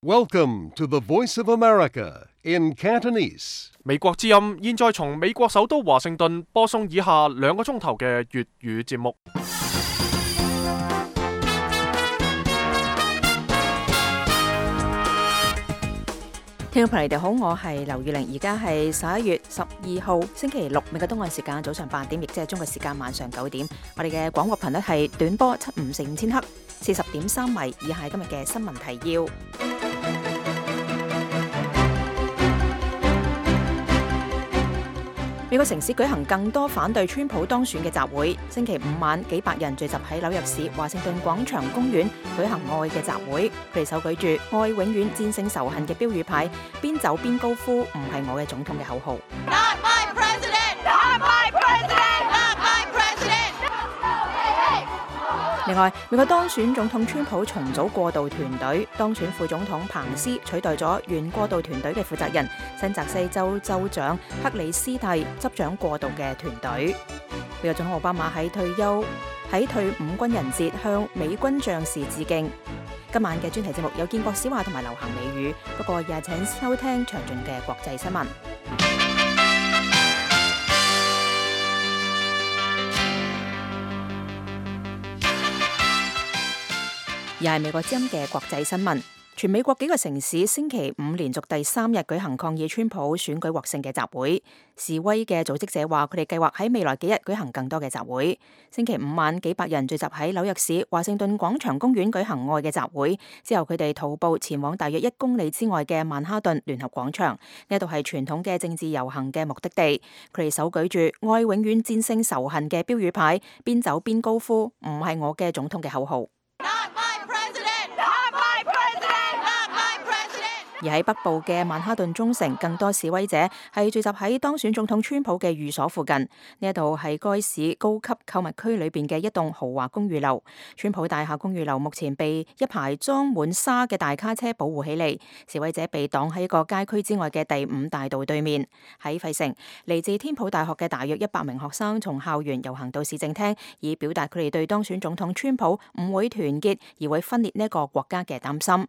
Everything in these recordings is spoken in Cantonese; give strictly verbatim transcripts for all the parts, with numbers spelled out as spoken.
Welcome to the Voice of America in Cantonese. 美國之音現在從美國首都華盛頓播送以下兩個鐘頭嘅粵語節目。聽眾朋友，你哋好，我係劉玉玲，而家係十一月十二號星期六，美國東岸時間早上八點，亦即係中國時間晚上九點。我哋嘅廣播頻率係短波七五四五千赫，四十點三米。以下係今日嘅新聞提要。美國城市舉行更多反對川普當選嘅集會。星期五晚，幾百人聚集喺紐約市華盛頓廣場公園舉行愛嘅集會。佢哋手舉住「愛永遠戰勝仇恨」嘅標語牌，邊走邊高呼「唔係我嘅總統」嘅口號。Not my president! Not my president! Not my president! 另外，美國當選總統川普重組過渡團隊，當選副總統彭斯取代咗原過渡團隊嘅負責人新澤西州州長克里斯蒂執掌過渡嘅團隊。美國總統奧巴馬喺退休喺退伍軍人節向美軍將士致敬。今晚嘅專題節目有建國小話同埋流行美語，不過也請收聽詳盡嘅國際新聞。而係美國之音嘅國際新聞，全美國幾個城市星期五連續第三日舉行抗議川普選舉獲勝嘅集會。示威嘅組織者話，佢哋計劃喺未來幾日舉行更多嘅集會。星期五晚，幾百人聚集喺紐約市華盛頓廣場公園舉行愛嘅集會，之後佢哋徒步前往大約一公里之外嘅曼哈頓聯合廣場，呢度係傳統嘅政治遊行嘅目的地。佢哋手舉住愛永遠戰勝仇恨嘅標語牌，邊走邊高呼唔係我嘅總統嘅口號。而喺北部嘅曼哈頓中城，更多示威者係聚集喺當選總統川普嘅寓所附近。呢一度係該市高級購物區裏邊嘅一棟豪華公寓樓。川普大廈公寓樓目前被一排裝滿沙嘅大卡車保護起嚟，示威者被擋喺一個街區之外嘅第五大道對面。喺費城，嚟自天普大學嘅大約一百名學生從校園遊行到市政廳，以表達佢哋對當選總統川普唔會團結而會分裂呢一個國家嘅擔心。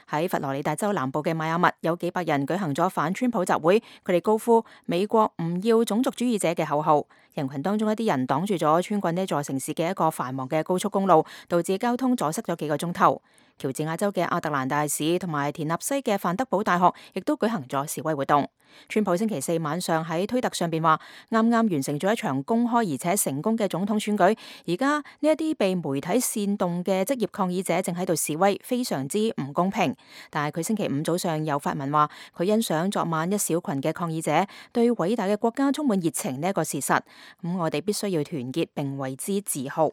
喺佛羅里達州南部嘅邁阿密，有幾百人舉行咗反川普集會，佢哋高呼美國唔要種族主義者嘅口號。人群當中一啲人擋住咗穿過呢座城市嘅一個繁忙嘅高速公路，導致交通阻塞咗幾個鐘頭。喬治亞州嘅亞特蘭大市同埋田納西嘅范德堡大學亦都舉行咗示威活動。川普星期四晚上喺推特上邊話，啱啱完成咗一場公開而且成功嘅總統選舉，而家呢一啲被媒體煽動嘅職業抗議者正喺度示威，非常之唔公平。但係佢星期五早上有發文話，佢欣賞昨晚一小群嘅抗議者對偉大嘅國家充滿熱情呢一個事實，咁我哋必須要團結並為之自豪。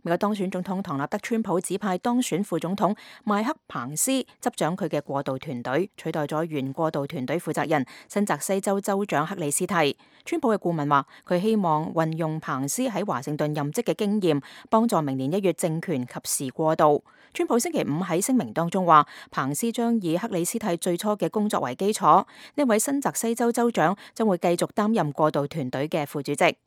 美國當選總統唐納德川普指派當選副總統邁克彭斯執掌佢嘅過渡團隊，取代咗原過渡團隊負責人新澤西州州長克里斯蒂。川普嘅顧問話，佢希望運用彭斯喺華盛頓任職嘅經驗，幫助明年一月政權及時過渡。川普星期五喺聲明當中話，彭斯將以克里斯蒂最初嘅工作為基礎，呢位新澤西州州長將會繼續擔任過渡團隊嘅副主席。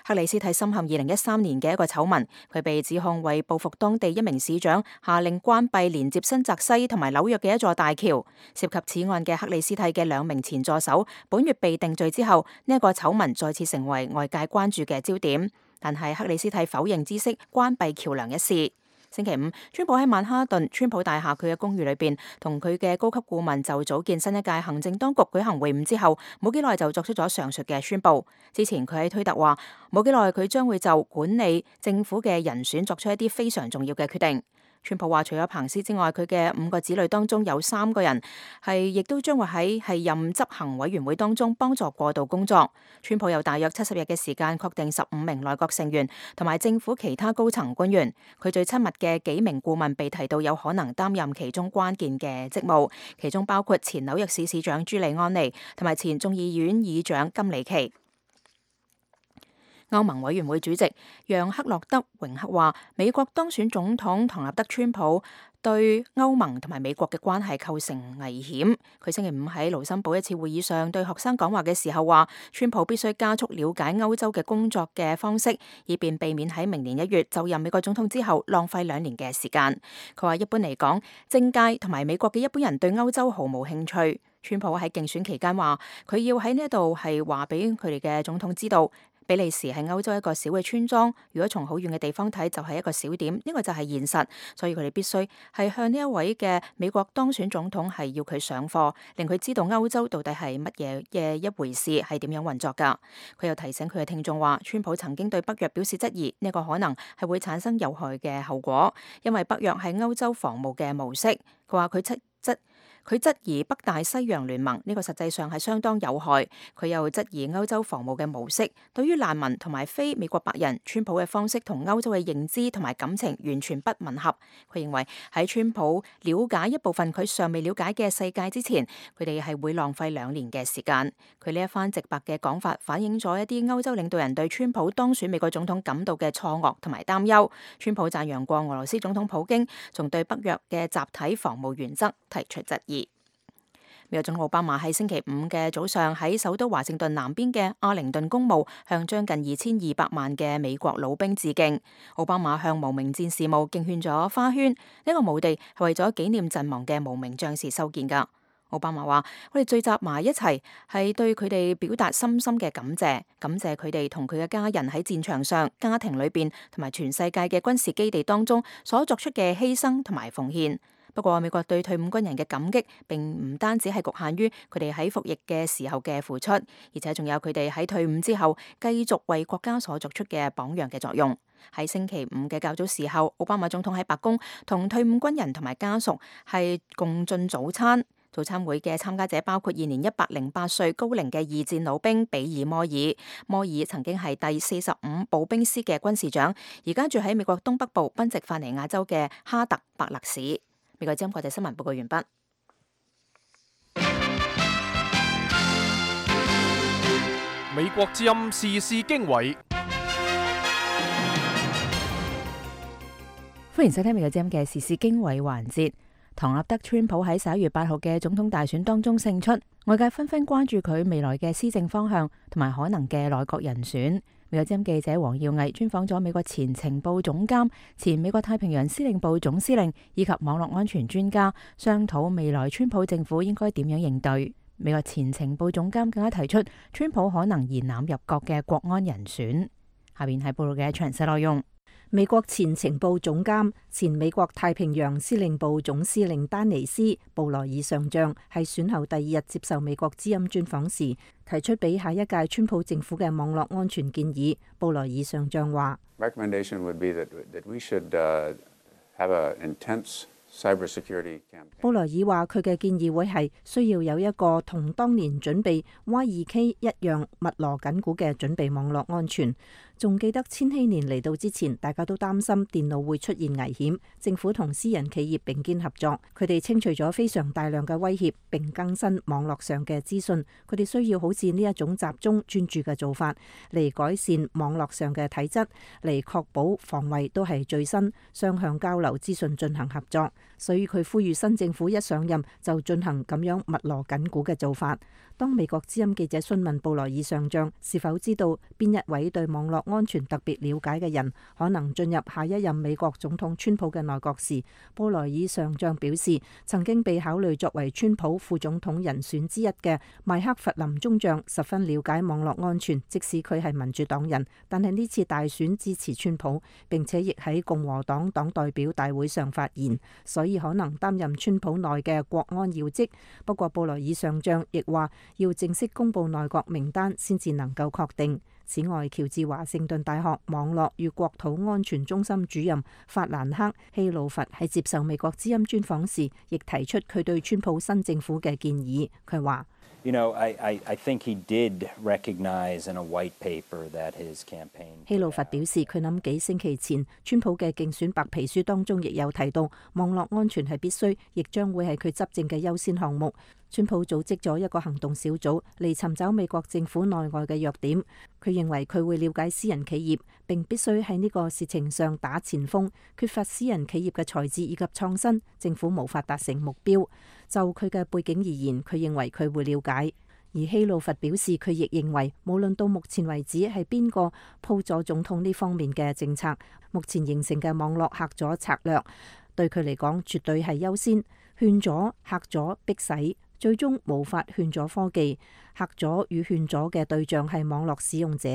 克里斯蒂深陷二零一三年嘅一個醜聞，佢被指控為報復當地一名市長，下令關閉連接新澤西同埋紐約嘅一座大橋。涉及此案嘅克里斯蒂嘅兩名前助手，本月被定罪之後，呢、這、一個醜聞再次成為外界關注嘅焦點。但係克里斯蒂否認知悉關閉橋樑一事。星期五，川普喺曼哈頓川普大廈佢嘅公寓裏邊，同佢嘅高級顧問就組建新一屆行政當局舉行會晤之後，冇幾耐就作出咗上述嘅宣佈。之前佢喺推特話，冇幾耐佢將會就管理政府嘅人選作出一啲非常重要嘅決定。川普話，除咗彭斯之外，佢嘅五個子女當中有三個人係亦都將會喺係任執行委員會當中幫助過渡工作。川普有大約七十日嘅時間確定十五名內閣成員同埋政府其他高層官員。佢最親密嘅幾名顧問被提到有可能擔任其中關鍵嘅職務，其中包括前紐約市市長朱利安尼同埋前眾議院議長金里奇。歐盟委員會主席讓克洛德榮克話，美國當選總統唐納德川普對歐盟同埋美國嘅關係構成危險。佢星期五喺盧森堡一次會議上對學生講話嘅時候話，川普必須加速了解歐洲嘅工作嘅方式，以便避免喺明年一月就任美國總統之後浪費兩年嘅時間。佢話一般嚟講，政界同埋美國嘅一般人對歐洲毫無興趣。川普喺競選期間話，佢要喺呢一度係話俾佢哋嘅總統知道，比利時係歐洲一個小嘅村莊，如果從好遠嘅地方睇就係一個小點，呢個就係現實，所以佢哋必須係向呢一位嘅美國當選總統係要佢上課，令佢知道歐洲到底係乜嘢嘅一回事，係點樣運作㗎。佢又提醒佢嘅聽眾話，川普曾經對北約表示質疑，呢個可能係會產生有害嘅後果，因為北約係歐洲防務嘅模式。佢話佢質質。佢質疑北大西洋聯盟，呢個實際上係相當有害。佢又質疑歐洲防務嘅模式，對於難民同埋非美國白人，川普嘅方式同歐洲嘅認知同埋感情完全不吻合。佢認為喺川普了解一部分佢尚未了解嘅世界之前，佢哋係會浪費兩年嘅時間。佢呢一番直白嘅講法，反映咗一啲歐洲領導人對川普當選美國總統感到嘅錯愕同埋擔憂。川普讚揚過俄羅斯總統普京，仲對北約嘅集體防務原則提出質疑。美國總統奧巴馬喺星期五嘅早上喺首都華盛頓南邊嘅阿靈頓公墓向將近二千二百萬嘅美國老兵致敬。奧巴馬向無名戰士墓敬獻咗花圈，呢個墓地係為咗紀念陣亡嘅無名將士修建噶。奧巴馬話：我哋聚集埋一齊係對佢哋表達深深嘅感謝，感謝佢哋同佢嘅家人喺戰場上、家庭裏邊同埋全世界嘅軍事基地當中所作出嘅犧牲同埋奉獻。不過，美國對退伍軍人嘅感激並唔單止係局限於佢哋喺服役嘅時候嘅付出，而且仲有佢哋喺退伍之後繼續為國家所作出嘅榜樣嘅作用。喺星期五嘅較早時候，奧巴馬總統喺白宮同退伍軍人同埋家屬係共進早餐。早餐會嘅參加者包括現年一百零八歲高齡嘅二戰老兵比爾摩爾。摩爾曾經係第四十五步兵師嘅軍事長，而家住喺美國東北部賓夕法尼亞州嘅哈特伯勒市。美國之音國際新聞報告完畢。美國之音時事經緯，歡迎收聽美國之音嘅時事經緯環節。唐納德川普喺十一月八號嘅總統大選當中勝出，外界紛紛關注佢未來嘅施政方向同埋可能嘅內閣人選。美國之音記者黃耀毅專訪咗美國前情報總監、前美國太平洋司令部總司令以及網絡安全專家，商討未來川普政府應該點樣應對。美國前情報總監更加提出，川普可能延攬入閣嘅國安人選。下邊係報道嘅詳細內容。美國前情報總監、前美國太平洋司令部總司令丹尼斯布萊爾上將喺選後第二日接受美國之音專訪時，提出俾下一屆川普政府嘅網絡安全建議。布萊爾上將話：布萊爾話佢嘅建議會係需要有一個同當年準備 Y 二 K 一樣密鑼緊鼓嘅準備網絡安全。仲記得千禧年嚟到之前，大家都擔心電腦會出現危險，政府同私人企業並肩合作，佢哋清除咗非常大量嘅威脅，並更新網絡上嘅資訊。佢哋需要好似呢一種集中專注嘅做法，嚟改善網絡上嘅體質，嚟確保防衛都係最新，雙向交流資訊進行合作。所以佢呼籲新政府一上任就進行咁樣密鑼緊鼓嘅做法。當美國之音記者詢問布萊爾上將是否知道邊一位對網絡安全特別了解嘅人可能進入下一任美國總統川普嘅內閣時，布萊爾上將表示，曾經被考慮作為川普副總統人選之一嘅邁克弗林中將十分了解網絡安全，即使佢係民主黨人，但係呢次大選支持川普，並且亦喺共和黨黨代表大會上發言，所以可能擔任川普內嘅國安要職。不過布萊爾上將亦話，要正式公布內閣名單先至能夠確定。此外，喬治華盛頓大學網絡與國土安全中心主任法蘭克希魯佛喺接受美國之音專訪時，亦提出佢對川普新政府嘅建議。佢話：You know, I, I, I think he did recognize in a white paper that his campaign. 希魯佛表示，佢諗幾星期前川普嘅競選白皮書當中亦有提到網絡安全係必須，亦將會係佢執政嘅優先項目。川普組織咗一個行動小組嚟尋找美國政府內外嘅弱點。佢認為佢會了解私人企業，並必須喺呢個事情上打前鋒。缺乏私人企業嘅才智以及創新，政府無法達成目標。就佢嘅背景而言，佢認為佢會了解。而希魯弗表示，佢亦認為無論到目前為止係邊個鋪咗總統呢方面嘅政策，目前形成嘅網絡嚇阻策略對佢嚟講絕對係優先。勸阻、嚇阻、逼使，最終無法勸阻科技。嚇阻與勸阻嘅對象係網絡使用者，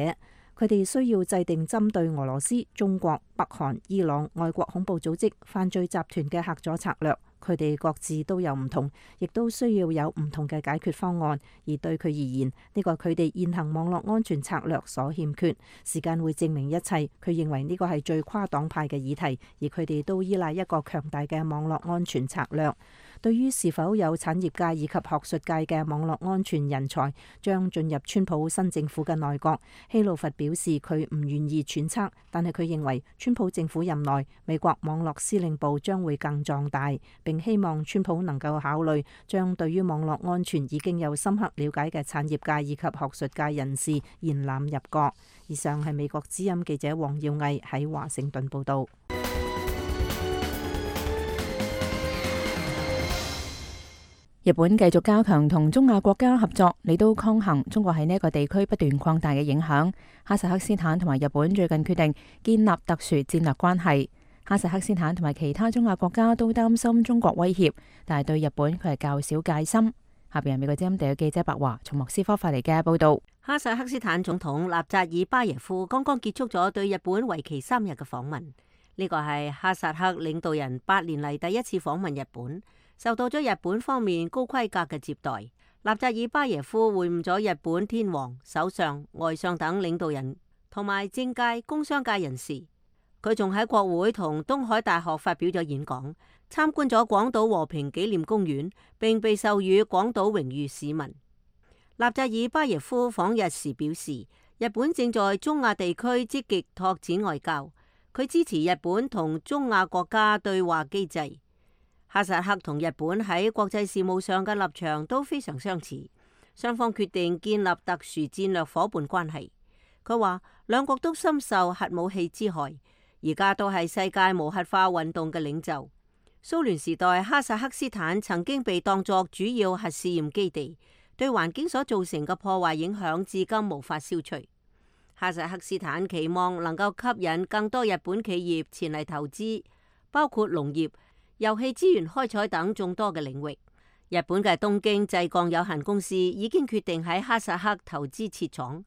佢哋需要制定針對俄羅斯、中國、北韓、伊朗、外國恐怖組織、犯罪集團嘅嚇阻策略。佢哋各自都有唔同，亦都需要有唔同嘅解決方案。而對佢而言，呢個係佢哋現行網絡安全策略所欠缺。時間會證明一切。佢認為呢個係最跨黨派嘅議題，而佢哋都依賴一個強大嘅網絡安全策略。對於是否有產業界以及學術界嘅網絡安全人才將進入川普新政府嘅內閣，希魯弗表示佢唔願意揣測，但係佢認為川普政府任內美國網絡司令部將會更壯大，並希望川普能夠考慮將對於網絡安全已經有深刻了解嘅產業界以及學術界人士延攬入閣。以上係美國之音記者黃耀毅喺華盛頓報道。日本繼續加強同中亞國家合作，嚟到抗衡中國喺呢一個地區不斷擴大嘅影響。哈薩克斯坦同埋日本最近決定建立特殊戰略關係。哈薩克斯坦同埋其他中亞國家都擔心中國威脅，但係對日本佢係較少戒心。下邊係美國之音地嘅記者白華從莫斯科發嚟嘅報道。哈薩克斯坦總統納扎爾巴耶夫剛剛結束咗對日本為期三日嘅訪問，呢個係哈薩克領導人八年嚟第一次訪問日本。受到咗日本方面高規格嘅接待，納扎爾巴耶夫會晤咗日本天皇、首相、外相等領導人，同埋政界、工商界人士。佢仲喺國會同東海大學發表咗演講，參觀咗廣島和平紀念公園，並被授予廣島榮譽市民。納扎爾巴耶夫訪日時表示，日本正在中亞地區積極拓展外交，佢支持日本同中亞國家對話機制。哈薩克同日本喺國際事務上嘅立場都非常相似，雙方決定建立特殊戰略夥伴關係。佢話兩國都深受核武器之害，而家都係世界無核化運動嘅領袖。蘇聯時代哈薩克斯坦曾經被當作主要核試驗基地，對環境所造成嘅破壞影響至今無法消除。哈薩克斯坦期望能夠吸引更多日本企業前嚟投資，包括農業、油氣資源開採等眾多嘅領域。日本嘅東京製鋼有限公司已經決定喺哈薩克投資設廠，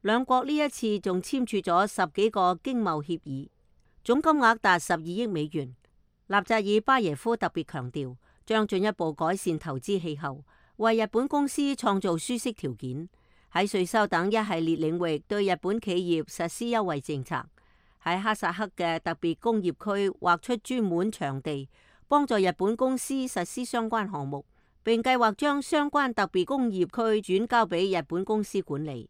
兩國呢一次仲簽署咗十幾個經貿協議，總金額達十二億美元。納扎爾巴耶夫特別強調，將進一步改善投資氣候，為日本公司創造舒適條件，喺稅收等一系列領域對日本企業實施優惠政策，喺哈薩克嘅特別工業區劃出專門場地，幫助日本公司實施相關項目，並計劃將相關特別工業區轉交俾日本公司管理。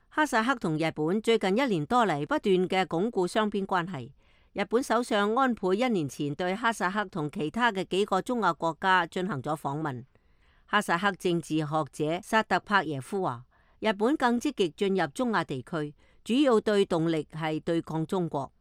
哈薩克同日本最近一年多嚟不斷嘅鞏固雙邊關係。日本首相安倍一年前對哈薩克同其他嘅幾個中亞國家進行咗訪問。哈薩克政治學者薩特帕耶夫話，日本更積極進入中亞地區，主要對動力係對抗中國。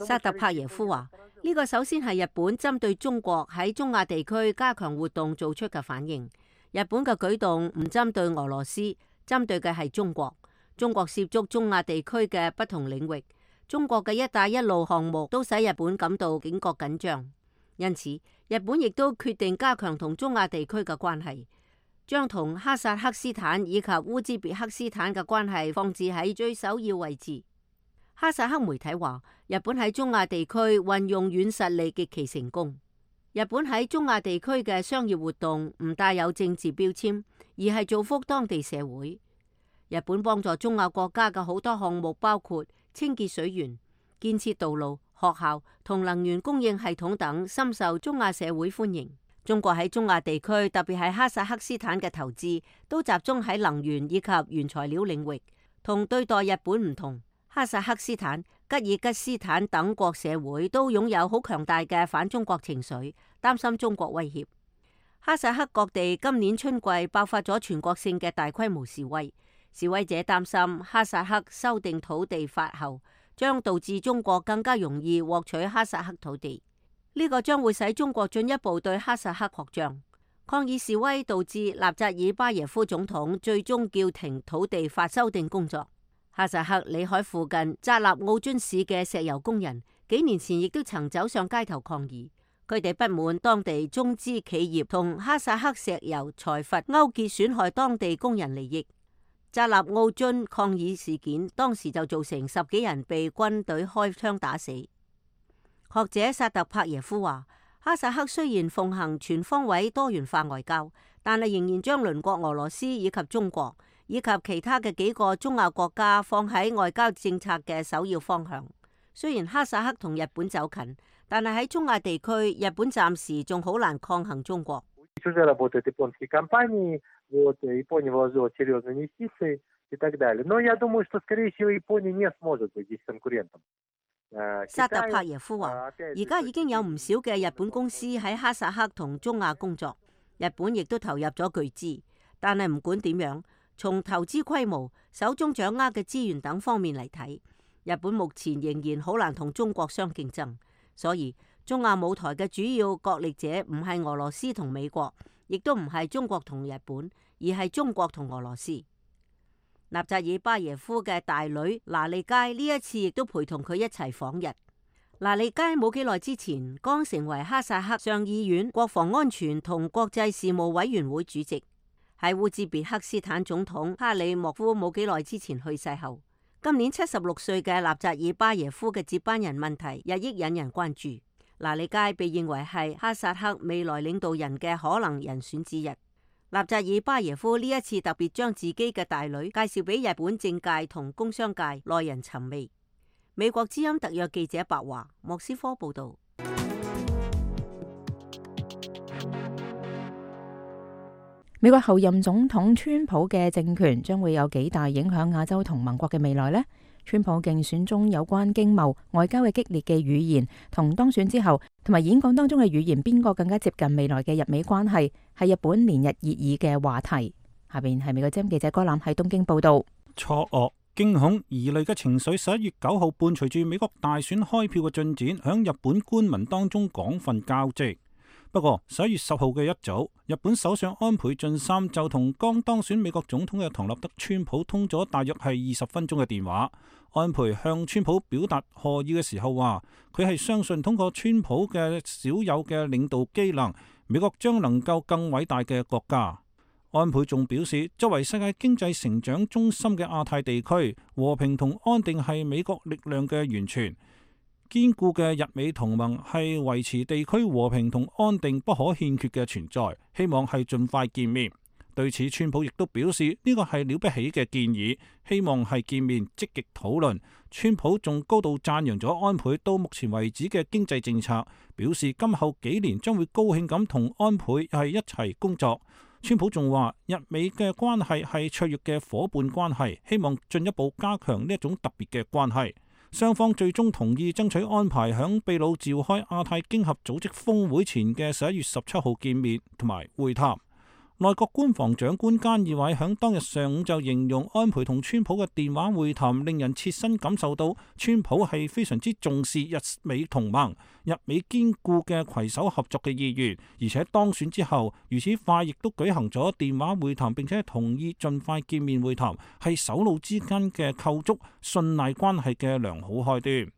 薩特帕耶夫話，呢個首先係日本針對中國喺中亞地區加強活動做出嘅反應。日本嘅舉動唔針對俄羅斯，針對嘅係中國。中國涉足中亞地區嘅不同領域，中國嘅一帶一路項目都使日本感到警覺緊張。因此，日本亦都決定加強同中亞地區嘅關係，將同哈薩克斯坦以及烏茲別克斯坦嘅關係放置喺最首要位置。哈薩克媒體話，日本喺中亞地區運用軟實力極其成功。日本喺中亞地區嘅商業活動唔帶有政治標籤，而係造福當地社會。日本幫助中亞國家嘅好多項目，包括清潔水源、建設道路、學校同能源供應系統等，深受中亞社會歡迎。中國喺中亞地區，特別係哈薩克斯坦嘅投資，都集中喺能源以及原材料領域。同對待日本唔同，哈薩克斯坦、吉爾吉斯坦等國社會都擁有好強大嘅反中國情緒，擔心中國威脅。哈薩克各地今年春季爆發咗全國性嘅大規模示威，示威者擔心哈薩克修訂土地法後，將導致中國更加容易獲取哈薩克土地，呢、這個將會使中國進一步對哈薩克擴張。抗議示威導致納扎爾巴耶夫總統最終叫停土地法修訂工作。哈薩克里海附近扎納奧津市嘅石油工人幾年前亦都曾走上街頭抗議，佢哋不滿當地中資企業同哈薩克石油財閥勾結，損害當地工人利益。扎納奧津抗議事件當時就造成十幾人被軍隊開槍打死。學者薩特帕耶夫話，哈薩克雖然奉行全方位多元化外交，但係仍然將鄰國俄羅斯以及中國以及其他嘅幾個中亞國家放喺外交政策嘅首要方向。雖然哈薩克同日本走近，但係喺中亞地區，日本暫時仲好難抗衡中國。薩特帕耶夫話，而家已經有唔少嘅日本公司喺哈薩克同中亞工作，日本亦都投入咗巨資。但係唔管點樣，從投資規模、手中掌握嘅資源等方面嚟睇，日本目前仍然好難同中國相競爭。所以中亞舞台嘅主要角力者唔係俄羅斯同美國，亦都唔係中國同日本，而係中國同俄羅斯。納扎爾巴耶夫嘅大女拿利街呢一次亦都陪同佢一齊訪日。拿利街冇幾耐之前剛成為哈薩克上議院國防安全同國際事務委員會主席。喺烏茲別克斯坦總統哈里莫夫冇幾耐之前去世後，今年七十六歲嘅納扎爾巴耶夫嘅接班人問題日益引人關注。拿利街被認為係哈薩克未來領導人嘅可能人選之一。納扎爾巴耶夫呢一次特別將自己嘅大女介紹俾日本政界同工商界耐人尋味。美國之音特約記者白華莫斯科報道。美國後任總統川普嘅政權將會有幾大影響亞洲同盟國嘅未來呢？川普競選中有關經貿、外交嘅激烈嘅語言，同當選之後同埋演講當中嘅語言，邊個更加接近未來嘅日美關係，係日本連日熱議嘅話題。下邊係美國之音記者哥藍喺東京報道。錯愕、驚恐、疑慮嘅情緒，十一月九號伴隨住美國大選開票嘅進展，響日本官民當中廣泛交織。不過十一月十號嘅一早，日本首相安倍晉三就同剛當選美國總統嘅唐納德川普通咗大約係二十分鐘嘅電話。安倍向川普表達賀意嘅時候話，佢係相信通過川普嘅少有嘅領導機能，美國將能夠更偉大嘅國家。安倍仲表示，作為世界經濟成長中心嘅亞太地區，和平同安定係美國力量嘅源泉。堅固嘅日美同盟係維持地區和平同安定不可欠缺嘅存在，希望係盡快見面。對此，川普亦都表示呢個係了不起嘅建議，希望係見面積極討論。川普仲高度讚揚咗安倍到目前為止嘅經濟政策，表示今後幾年將會高興咁同安倍係一齊工作。川普仲話日美嘅關係係卓越嘅夥伴關係，希望進一步加強呢一種特別嘅關係。雙方最終同意爭取安排響秘魯召開亞太經合組織峰會前嘅十一月十七號見面同埋會談。內閣官房長官菅義偉響當日上午就形容安倍同川普嘅電話會談令人切身感受到川普係非常之重視日美同盟、日美堅固嘅攜手合作嘅意願，而且當選之後如此快亦都舉行咗電話會談，並且同意盡快見面會談，係首腦之間嘅構築信賴關係嘅良好開端。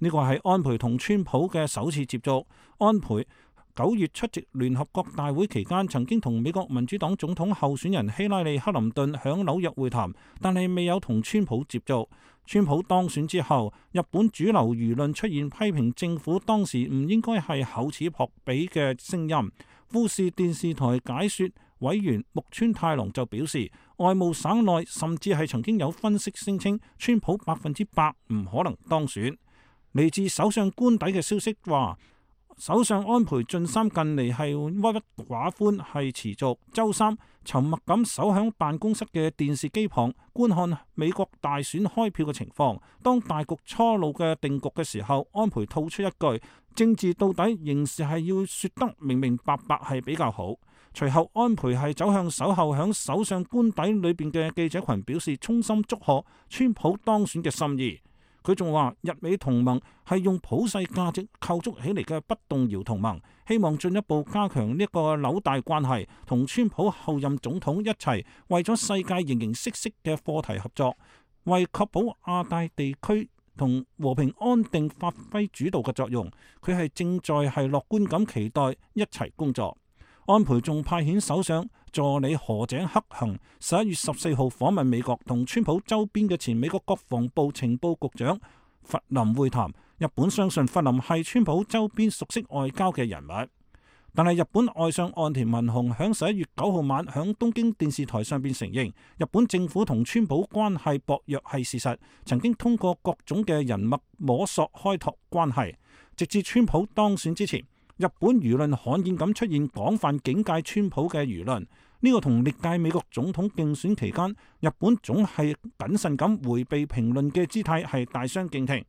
呢個係安倍同川普嘅首次接觸。安倍九月出席聯合國大會期間，曾經同美國民主黨總統候選人希拉里克林頓響紐約會談，但係未有同川普接觸。川普當選之後，日本主流輿論出現批評政府當時唔應該係厚此薄彼嘅聲音。富士電視台解說委員木村太郎就表示，外務省內甚至係曾經有分析聲稱，川普百分之百唔可能當選。嚟自首相官邸嘅消息話，首相安倍晉三近嚟係鬱鬱寡歡，係持續。週三沉默咁守響辦公室嘅電視機旁觀看美國大選開票嘅情況。當大局初露嘅定局嘅時候，安倍吐出一句：政治到底仍是係要說得明明白白係比較好。隨後安倍係走向守候響首相官邸裏邊嘅記者群，表示衷心祝賀川普當選嘅心意。佢仲話日美同盟係用普世價值構築起嚟嘅不動搖同盟，希望進一步加強呢個紐帶關係，同川普後任總統一齊為咗世界形形色色嘅課題合作，為確保亞太地區同和平安定發揮主導嘅作用。佢係正在係樂觀咁期待一齊工作。安倍仲派遣首相助理河井克行十一月十四號訪問美國，同川普周邊嘅前美國國防部情報局長弗林會談。日本相信弗林係川普周邊熟悉外交嘅人物，但係日本外相岸田文雄響十一月九號晚響東京電視台上邊承認，日本政府同川普關係薄弱係事實，曾經通過各種嘅人脈摸索開拓關係，直至川普當選之前。日本輿論罕見咁出現廣泛警戒川普嘅輿論，呢個同歷屆美國總統競選期間日本總係謹慎咁迴避評論嘅姿態係大相徑庭。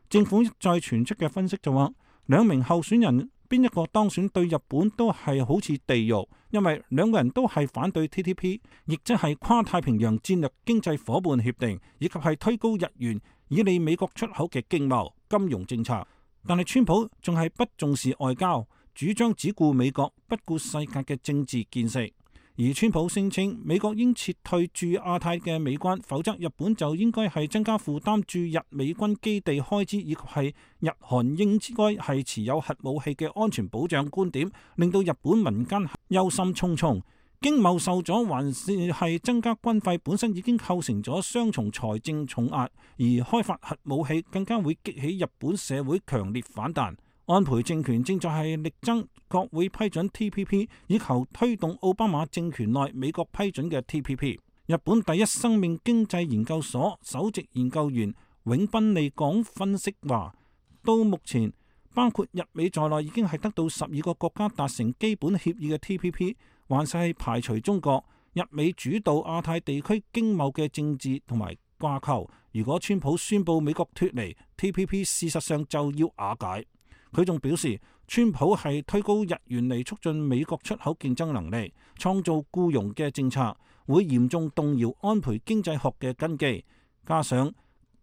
政府再傳出嘅分析就話，兩名候選人邊一個當選對日本都係好似地獄，因為兩個人都係反對 T T P， 亦即係跨太平洋戰略經濟夥伴協定，以及係推高日元以利美國出口嘅經貿金融政策。但係川普仲係不重視外交，主張只顧美國，不顧世界嘅政治見識。而川普聲稱美國應撤退駐亞太嘅美軍，否則日本就應該係增加負擔駐日美軍基地開支，以及係日韓應該係持有核武器嘅安全保障觀點，令到日本民間憂心忡忡。經貿受阻，還是係增加軍費，本身已經構成咗雙重財政重壓，而開發核武器更加會激起日本社會強烈反彈。安倍政權正在係力爭國會批准 T P P， 以求推動奧巴馬政權內美國批准嘅 T P P。日本第一生命經濟研究所首席研究員永濱利港分析話，到目前包括日美在內已經係得到十二個國家達成基本協議嘅 T P P。還是係排除中國、日美主導亞太地區經貿嘅政治同埋掛鈎。如果川普宣布美國脫離 T P P， 事實上就要瓦解。佢仲表示，川普係推高日元嚟促進美國出口競爭能力，創造僱傭嘅政策，會嚴重動搖安倍經濟學嘅根基。加上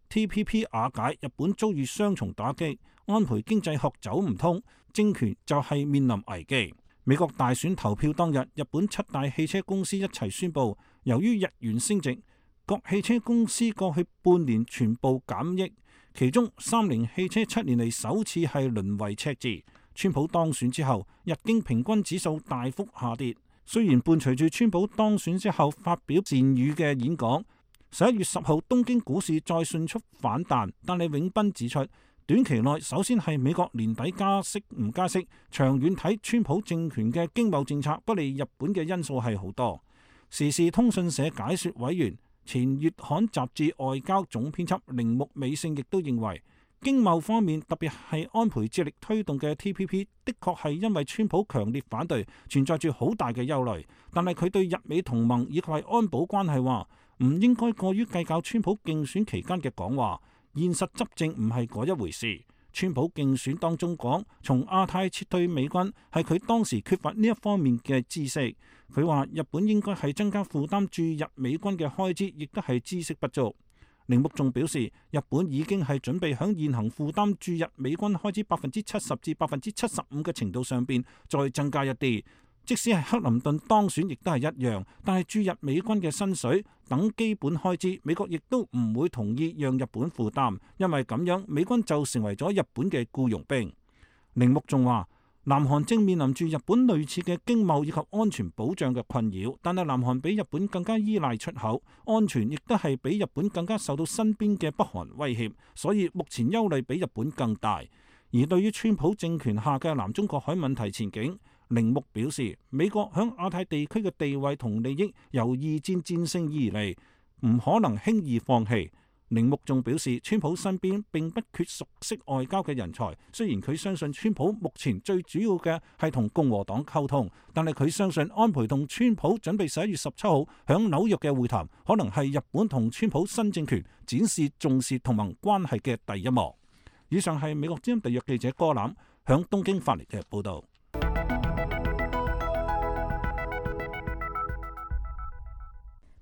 T P P 瓦解，日本遭遇雙重打擊，安倍經濟學走唔通，政權就係面臨危機。美國大選投票當日，日本七大汽車公司一齊宣布，由於日元升值，各汽車公司過去半年全部減益，其中三菱汽車七年嚟首次係淪為赤字。川普當選之後，日經平均指數大幅下跌。雖然伴隨住川普當選之後發表善語嘅演講，十一月十號東京股市再迅速反彈，但係永斌指出，短期內首先係美國年底加息唔加息，長遠睇川普政權嘅經貿政策不利日本嘅因素係好多。時事通訊社解說委員、前月刊雜誌外交總編輯鈴木美勝亦都認為，經貿方面特別係安倍致力推動嘅 T P P 的確係因為川普強烈反對，存在住好大嘅憂慮。但係佢對日美同盟以及係安保關係話，唔應該過於計較川普競選期間嘅講話。現實執政唔係嗰一回事。川普競選當中講從亞太撤退美軍，係佢當時缺乏呢一方面嘅知識。佢話日本應該係增加負擔駐日美軍嘅開支，亦都係知識不足。鈴木仲表示，日本已經係準備響現行負擔駐日美軍開支百分之七十至百分之七十五嘅程度上邊再增加一啲。即使係克林頓當選，亦都係一樣。但係駐日美軍嘅薪水等基本開支，美國亦都唔會同意讓日本負擔，因為咁樣美軍就成為咗日本嘅僱傭兵。鈴木仲話，南韓正面臨住日本類似嘅經貿以及安全保障嘅困擾，但係南韓比日本更加依賴出口，安全亦都係比日本更加受到身邊嘅北韓威脅，所以目前憂慮比日本更大。而對於川普政權下嘅南中國海問題前景，鈴木表示，美國響亞太地區嘅地位同利益由二戰戰勝而嚟，唔可能輕易放棄。鈴木仲表示，川普身邊並不缺熟悉外交嘅人才。雖然佢相信川普目前最主要嘅係同共和黨溝通，但係佢相信安倍同川普準備十一月十七號響紐約嘅會談，可能係日本同川普新政權展示重視同盟關係嘅第一幕。以上係美國之音特約記者柯欖響東京發嚟嘅報道。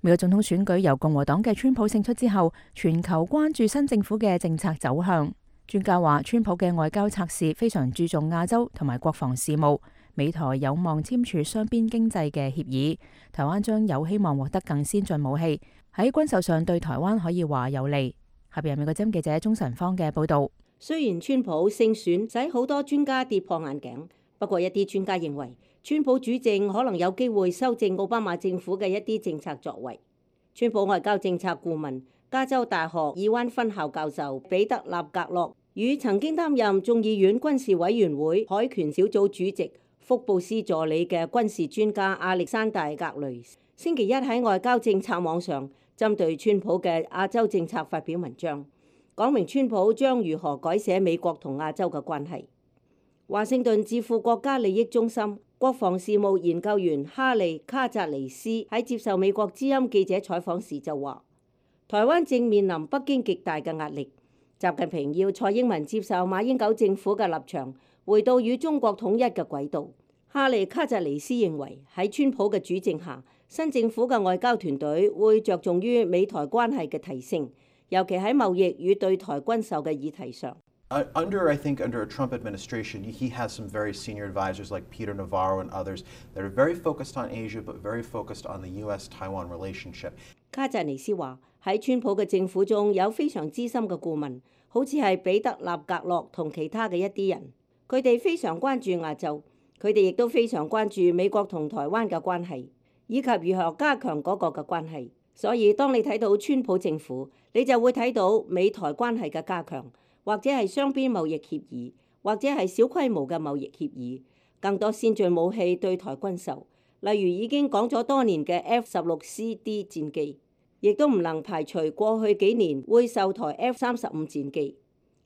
美國總統選舉由共和黨嘅川普勝出之後，全球關注新政府嘅政策走向。專家話，川普嘅外交策士非常注重亞洲同埋國防事務，美台有望簽署雙邊經濟嘅協議，台灣將有希望獲得更先進武器，喺軍售上對台灣可以話有利。下邊係美國之音記者鍾晨芳嘅報道。雖然川普勝選使好多專家跌破眼鏡，不過一啲專家認為，川普主政可能有機會修正奧巴馬政府嘅一啲政策作為。川普外交政策顧問、加州大學爾灣分校教授彼得納格洛與曾經擔任眾議院軍事委員會海權小組主席、福布斯助理嘅軍事專家亞歷山大格雷，星期一喺外交政策網上針對川普嘅亞洲政策發表文章，講明川普將如何改寫美國同亞洲嘅關係。華盛頓智庫國家利益中心國防事務研究員哈利卡扎尼斯喺接受美國之音記者採訪時就話，台灣正面臨北京極大嘅壓力，習近平要蔡英文接受馬英九政府嘅立場，回到與中國統一嘅軌道。哈利卡扎尼斯認為，喺川普嘅主政下，新政府嘅外交團隊會着重於美台關係嘅提升，尤其喺貿易與對台軍售嘅議題上。Under, I think, under a Trump administration, he has some very senior advisors like Peter Navarro and others that are very focused on Asia, but very focused on the U S-Taiwan relationship. 卡扎尼斯話：喺川普嘅政府中有非常資深嘅顧問，好似係彼得納格洛同其他嘅一啲人，佢哋非常關注亞洲，佢哋亦都非常關注美國同台灣嘅關係，以及如何加強嗰個嘅關係。所以當你睇到川普政府，你就會睇到美台關係嘅加強。或者係雙邊貿易協議，或者係小規模嘅貿易協議，更多先進武器對台軍售，例如已經講咗多年嘅 F 十六 C D 戰機，亦都唔能排除過去幾年會售台 F 三十五戰機。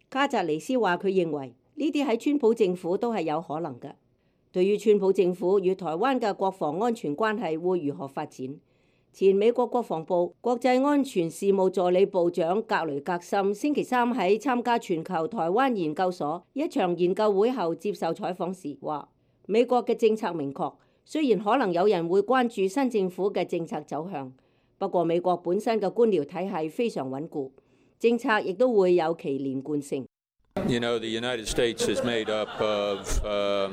卡扎尼斯話佢認為呢啲喺川普政府都係有可能嘅。對於川普政府與台灣嘅國防安全關係會如何發展？前美國國防部國際安全事務助理部長格雷格森星期三喺參加全球台灣研究所一場研究會後接受採訪時話，美國嘅政策明確，雖然可能有人會關注新政府嘅政策走向，不過美國本身嘅官僚體系非常穩固，政策亦都會有其連貫性。You know, the United States is made up of uh,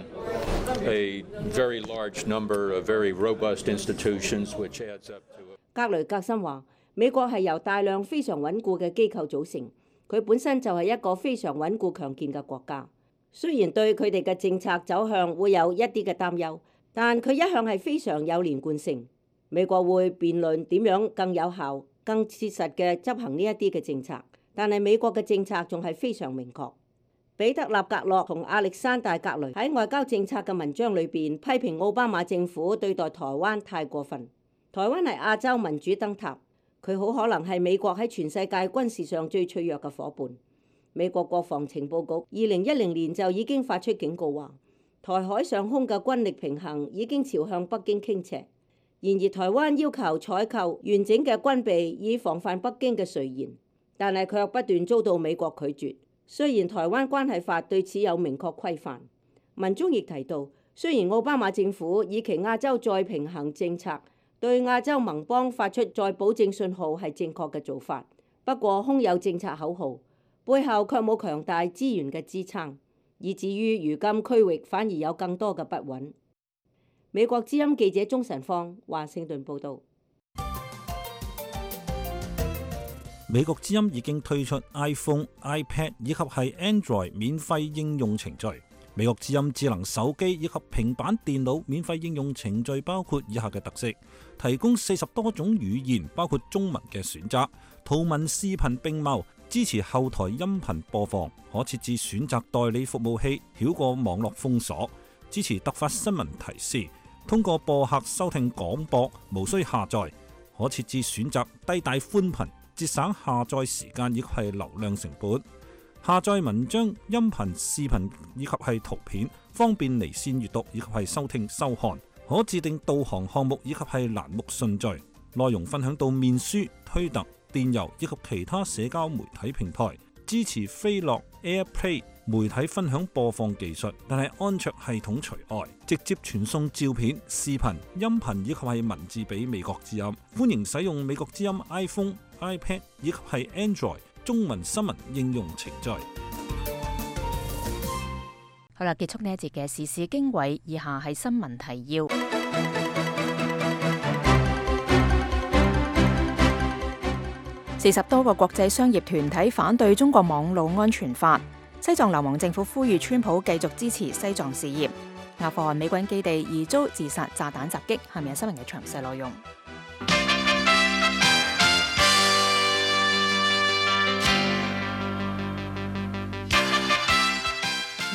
a very large number of very robust institutions, which adds up to a... 格雷格森話：美國係由大量非常穩固嘅機構組成，佢本身就係一個非常穩固強健嘅國家。雖然對佢哋嘅政策走向會有一啲嘅擔憂，但佢一向係非常有連貫性。美國會辯論點樣更有效、更切實嘅執行呢一啲嘅政策。但係美國嘅政策仲係非常明確。彼得納格洛同亞歷山大格雷喺外交政策嘅文章裏邊批評奧巴馬政府對待台灣太過分。台灣係亞洲民主燈塔，佢好可能係美國喺全世界軍事上最脆弱嘅夥伴。美國國防情報局二零一零年就已經發出警告話，台海上空嘅軍力平衡已經朝向北京傾斜。然而台灣要求採購完整嘅軍備以防範北京嘅垂涎，但係卻不斷遭到美國拒絕。雖然台灣關係法對此有明確規範，文中亦提到，雖然奧巴馬政府以其亞洲再平衡政策對亞洲盟邦發出再保證信號係正確嘅做法，不過空有政策口號，背後卻冇強大資源嘅支撐，以至於如今區域反而有更多嘅不穩。美國之音記者鍾晨芳華盛頓報道。美國之音已經推出 iPhone、iPad 以及係 Android 免費應用程序。美國之音智能手機以及平板電腦免費應用程序包括以下嘅特色：提供四十多種語言，包括中文嘅選擇，圖文視頻並茂，支持後台音頻播放，可設置選擇代理服務器，繞過網絡封鎖，支持突發新聞提示，通過播客收聽廣播，無需下載，可設置選擇低帶寬頻。節省下載時間以及係流量成本。下載文章、音頻、視頻以及係圖片，方便離線閱讀以及係收聽收看。可自定導航項目以及係欄目順序。內容分享到面書、推特、電郵以及其他社交媒體平台。支持飛樂 AirPlay 媒體分享播放技術，但係安卓系統除外。直接傳送照片、視頻、音頻以及係文字俾美國之音。歡迎使用美國之音 iPhone、iPad 以及係 Android 中文新聞應用程序。好啦，結束呢一節嘅時事經緯，以下係新聞提要。四十多個國際商業團體反對中國網路安全法。西藏流亡政府呼籲川普繼續支持西藏事業。阿富汗美軍基地疑遭自殺炸彈襲擊。下面係新聞嘅詳細內容。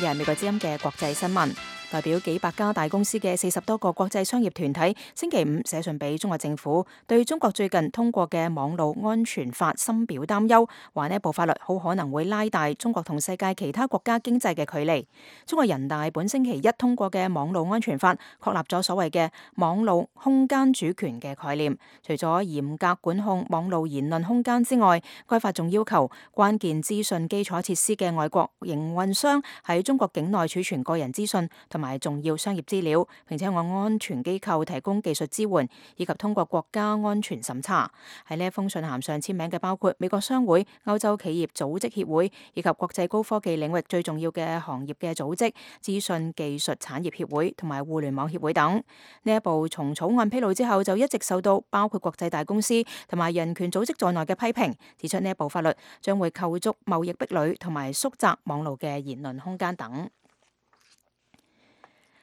而係美國之音嘅國際新聞。代表幾百家大公司嘅四十多個國際商業團體星期五寫信俾中國政府，對中國最近通過嘅網路安全法深表擔憂，話呢部法律好可能會拉大中國同世界其他國家經濟嘅距離。中國人大本星期一通過嘅網路安全法確立咗所謂嘅網路空間主權嘅概念，除咗嚴格管控網路言論空間之外，該法仲要求關鍵資訊基礎設施嘅外國營運商喺中國境內儲存個人資訊同埋重要商業資料，並且按安全機構提供技術支援，以及通過國家安全審查。喺呢一封信函上簽名嘅包括美國商會、歐洲企業組織協會以及國際高科技領域最重要嘅行業嘅組織、資訊技術產業協會同埋互聯網協會等。呢一部從草案披露之後就一直受到包括國際大公司同埋人權組織在內嘅批評，指出呢一部法律將會構築貿易壁壘同埋縮窄網路嘅言論空間等。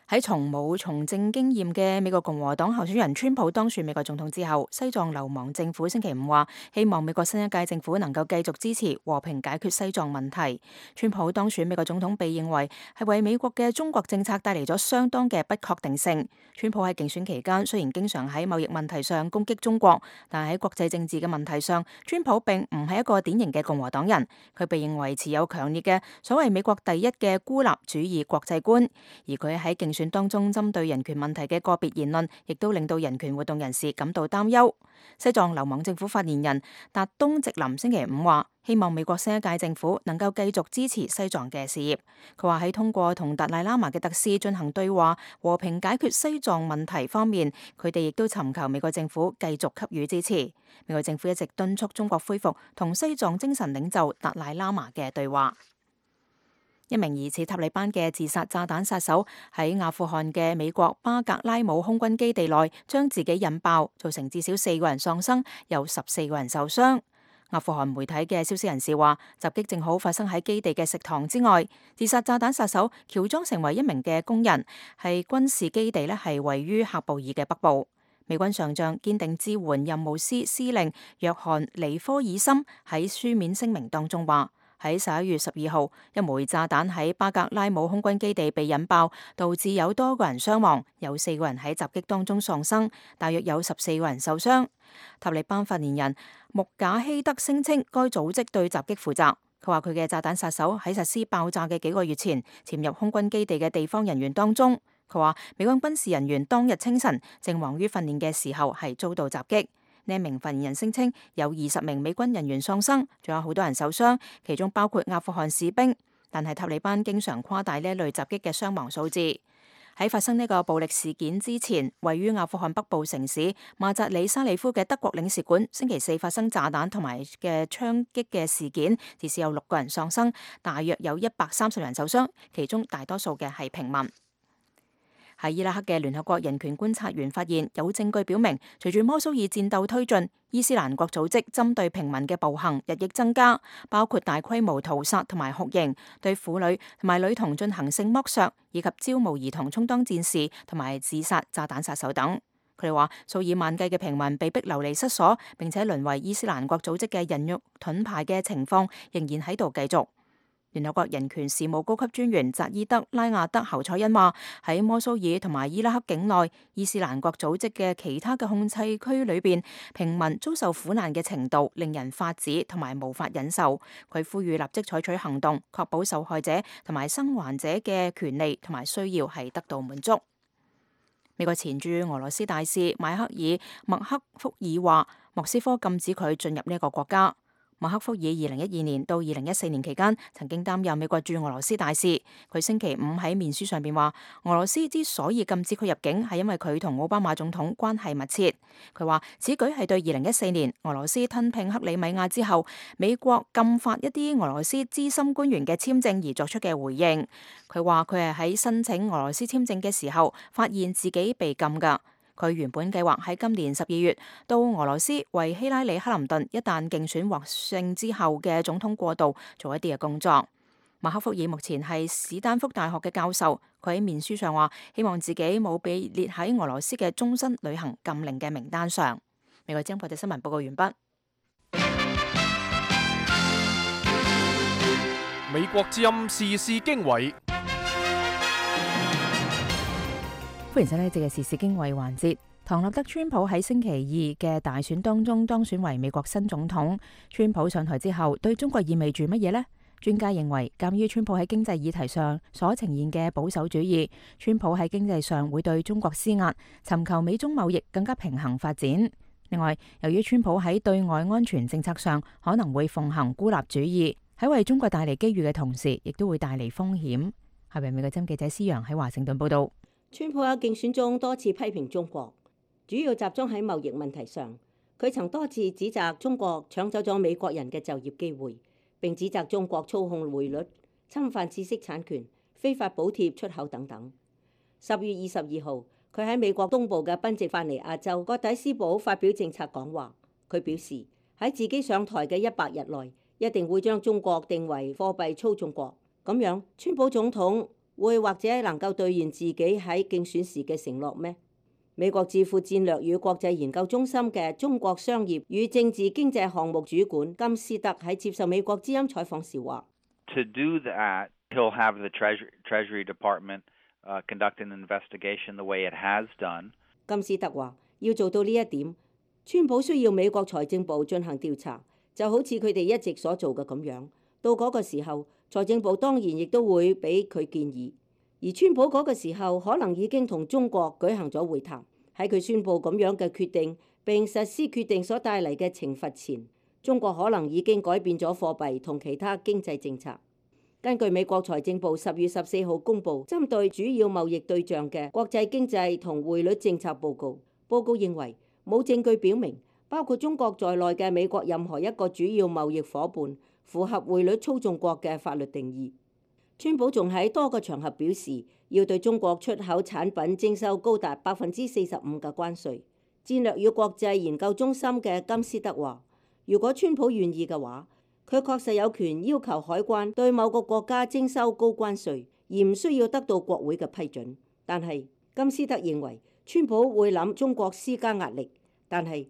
喺從冇從政經驗嘅美國共和黨候選人川普當選美國總統之後，西藏流亡政府星期五話，希望美國新一屆政府能夠繼續支持和平解決西藏問題。川普當選美國總統被認為係為美國嘅中國政策帶嚟咗相當嘅不確定性。川普喺競選期間雖然經常喺貿易問題上攻擊中國，但係喺國際政治嘅問題上，川普並唔係一個典型嘅共和黨人。佢被認為持有強烈嘅所謂美國第一嘅孤立主義國際觀，而佢喺競選當中針對人權問題嘅個別言論，亦都令到人權活動人士感到擔憂。西藏流亡政府發言人達東直林星期五話，希望美國新一屆政府能夠繼續支持西藏嘅事業。佢話喺通過同達賴喇嘛嘅特使進行對話、和平解決西藏問題方面，佢哋亦都尋求美國政府繼續給予支持。美國政府一直敦促中國恢復同西藏精神領袖達賴喇嘛嘅對話。一名疑似塔利班嘅自殺炸彈殺手喺阿富汗嘅美國巴格拉姆空軍基地內將自己引爆，造成至少四個人喪生，有十四個人受傷。阿富汗媒體嘅消息人士話，襲擊正好發生喺基地嘅食堂之外。自殺炸彈殺手喬裝成為一名嘅工人，係軍事基地咧，係位於喀布爾嘅北部。美軍上將堅定支援任務司司令約翰尼科爾森喺書面聲明當中話，喺十一月十二號，一枚炸彈喺巴格拉姆空軍基地被引爆，導致有多個人傷亡，有四個人喺襲擊當中喪生，大約有十四個人受傷。塔利班發言人穆賈希德聲稱，該組織對襲擊負責。佢話佢嘅炸彈殺手喺實施爆炸嘅幾個月前潛入空軍基地嘅地方人員當中。佢話美軍軍事人員當日清晨正忙於訓練嘅時候係遭到襲擊。呢一名發言人聲稱有二十名美軍人員喪生，仲有好多人受傷，其中包括阿富汗士兵。但係塔利班經常誇大呢一類襲擊嘅傷亡數字。喺發生呢個暴力事件之前，位於阿富汗北部城市馬扎里沙里夫嘅德國領事館星期四發生炸彈同埋嘅槍擊嘅事件，至少有六個人喪生，大約有一百三十人受傷，其中大多數嘅係平民。喺伊拉克嘅聯合國人權觀察員發現，有證據表明，隨住摩蘇爾戰鬥推進，伊斯蘭國組織針對平民嘅暴行日益增加，包括大規模屠殺同埋酷刑，對婦女同埋女童進行性剝削，以及招募兒童充當戰士同埋自殺炸彈殺手等。佢哋話，數以萬計嘅平民被逼流離失所，並且淪為伊斯蘭國組織嘅人肉盾牌嘅情況仍然喺度繼續。聯合國人權事務高級專員扎伊德拉亞德侯賽因話：喺摩蘇爾同埋伊拉克境內伊斯蘭國組織嘅其他嘅控制區裏邊，平民遭受苦難嘅程度令人髮指同埋無法忍受。佢呼籲立即採取行動，確保受害者同埋生還者嘅權利同埋需要係得到滿足。美國前駐俄羅斯大使邁克爾麥克福爾話：莫斯科禁止佢進入呢個國家。麥克福爾二零一二年到二零一四年期間曾經擔任美國駐俄羅斯大使。佢星期五喺面書上邊話，俄羅斯之所以禁止佢入境係因為佢同奧巴馬總統關係密切。佢話此舉係對二零一四年俄羅斯吞併克里米亞之後美國禁發一啲俄羅斯資深官員嘅簽證而作出嘅回應。佢話佢係喺申請俄羅斯簽證嘅時候發現自己被禁噶。佢原本計劃喺今年十二月到俄羅斯為希拉里克林頓一旦競選獲勝之後嘅總統過渡做一啲嘅工作。馬克福爾目前係史丹福大學嘅教授，佢喺面書上話希望自己冇被列喺俄羅斯嘅終身旅行禁令嘅名單上。美國之音國際新聞報告完畢。美國之音時事經緯。歡迎收睇呢節嘅時事經緯環節。唐納德川普喺星期二嘅大選當中當選為美國新總統。川普上台之後對中國意味住乜嘢呢？專家認為，鑒於川普喺經濟議題上所呈現嘅保守主義，川普喺經濟上會對中國施壓，尋求美中貿易更加平衡發展。另外，由於川普喺對外安全政策上可能會奉行孤立主義，喺為中國帶嚟機遇嘅同時，亦都會帶嚟風險。下邊美國針記者施洋喺華盛頓報道。川普喺競選中多次批評中國，主要集中喺貿易問題上。佢曾多次指責中國搶走咗美國人嘅就業機會，並指責中國操控匯率、侵犯知識產權、非法補貼出口等等。十月二十二號，佢喺美國東部嘅賓夕法尼亞州葛底斯堡發表政策講話。佢表示喺自己上台嘅一百日內，一定會將中國定為貨幣操縱國。咁樣，川普總統會或者能夠兌現自己喺競選時嘅承諾咩？美國智庫戰略與國際研究中心嘅中國商業與政治經濟項目主管金斯特喺接受美國之音採訪時話 ：To do that, he'll have the Treasury, Treasury Department, uh, conduct an investigation the way it has done. 金斯特話：要做到呢一點，川普需要美國財政部進行調查，就好似佢哋一直所做嘅咁樣。到嗰個時候，財政部當然亦都會俾佢建議。而川普嗰個時候可能已經同中國舉行咗會談。喺佢宣布咁樣嘅決定並實施決定所帶嚟嘅懲罰前，中國可能已經改變咗貨幣同其他經濟政策。根據美國財政部十月十四號公佈針對主要貿易對象嘅國際經濟同匯率政策報告，報告認為冇證據表明包括中國在內嘅美國任何一個主要貿易夥伴符合匯率操縱國嘅法律定義。川普仲喺多個場合表示要對中國出口產品徵收高達百分之四十五嘅關稅。戰略與國際研究中心嘅金斯德話：如果川普願意嘅話，佢確實有權要求海關對某個國家徵收高關稅，而唔需要得到國會嘅批准。但係金斯德認為川普會諗中國施加壓力，但係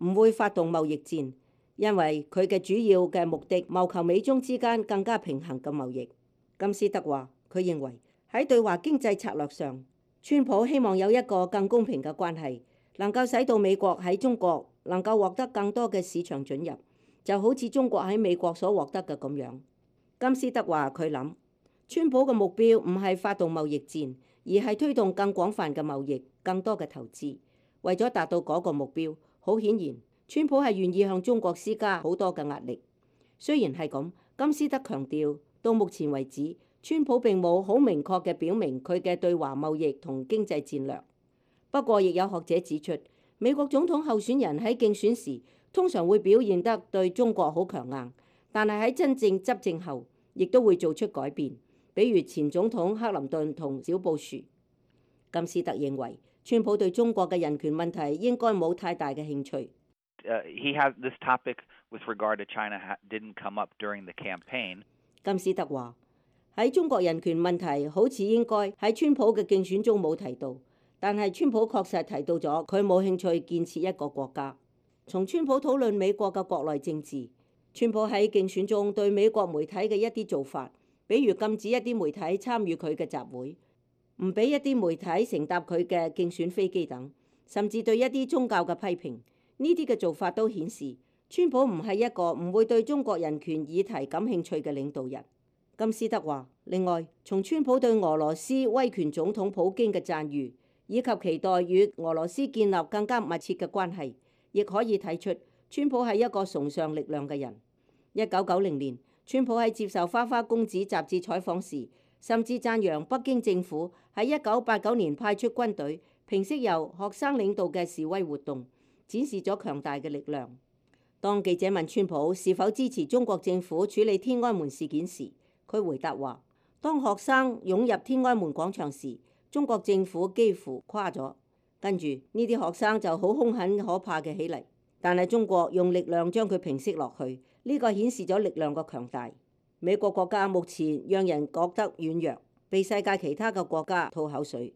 唔會發動貿易戰，因為佢嘅主要嘅目的謀求美中之間更加平衡嘅貿易。金斯德話：佢認為喺對華經濟策略上，川普希望有一個更公平嘅關係，能夠使到美國喺中國能夠獲得更多嘅市場准入，就好似中國喺美國所獲得嘅咁樣。金斯德話：佢諗川普嘅目標唔係發動貿易戰，而係推動更廣泛嘅貿易、更多嘅投資。為咗達到嗰個目標，好顯然，川普係願意向中國施加好多嘅壓力。雖然係咁，金斯德強調，到目前為止，川普並冇好明確嘅表明佢嘅對華貿易同經濟戰略。不過，亦有學者指出，美國總統候選人喺競選時通常會表現得對中國好強硬，但係喺真正執政後，亦都會做出改變。比如前總統克林頓同小布殊。金斯特認為，川普對中國嘅人權問題應該冇太大嘅興趣。Uh, he has this topic with regard to China didn't come up during the campaign. 金斯特話：喺中國人權問題好似應該喺川普嘅競選中冇提到，但係川普確實提到咗佢冇興趣建設一個國家。從川普討論美國嘅國內政治，川普喺競選中對美國媒體嘅一啲做法比如禁止一啲媒體參與佢嘅集會，唔俾一啲媒體乘搭佢嘅競選飛機等，甚至對一啲宗教嘅批評。呢啲嘅做法都顯示，川普唔係一個唔會對中國人權議題感興趣嘅領導人。金斯德話，另外，從川普對俄羅斯威權總統普京嘅讚譽，以及期待與俄羅斯建立更加密切嘅關係，亦可以睇出川普係一個崇尚力量嘅人。一九九零年，川普喺接受《花花公子》雜誌採訪時，甚至讚揚北京政府喺一九八九年派出軍隊平息由學生領導嘅示威活動，展示咗強大嘅力量。當記者問川普是否支持中國政府處理天安門事件時，佢回答話：當學生湧入天安門廣場時，中國政府幾乎垮咗，跟住呢啲學生就好兇狠可怕嘅起嚟，但係中國用力量將佢平息落去，呢個顯示咗力量嘅強大。美國國家目前讓人覺得軟弱，被世界其他嘅國家吐口水。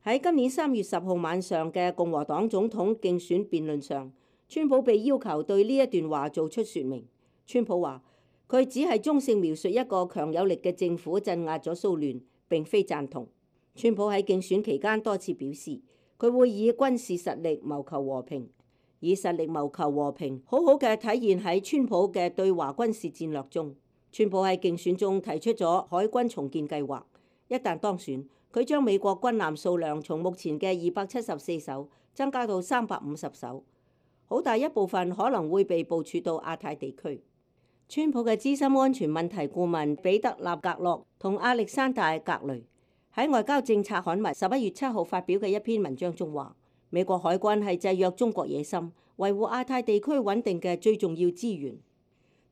喺今年三月十號晚上嘅共和黨總統競選辯論上，川普被要求對呢一段話做出説明。川普話：佢只係中性描述一個強有力嘅政府鎮壓咗騷亂，並非贊同。川普喺競選期間多次表示，佢會以軍事實力謀求和平，以實力謀求和平，好好嘅體現喺川普嘅對華軍事戰略中。川普喺競選中提出咗海軍重建計劃，一旦當選，佢將美國軍艦數量從目前嘅二百七十四艘增加到三百五十艘，好大一部分可能會被部署到亞太地區。川普嘅資深安全問題顧問彼得納格洛同亞歷山大格雷喺外交政策刊物十一月七號發表嘅一篇文章中話，美國海軍係制約中國野心、維護亞太地區穩定嘅最重要資源。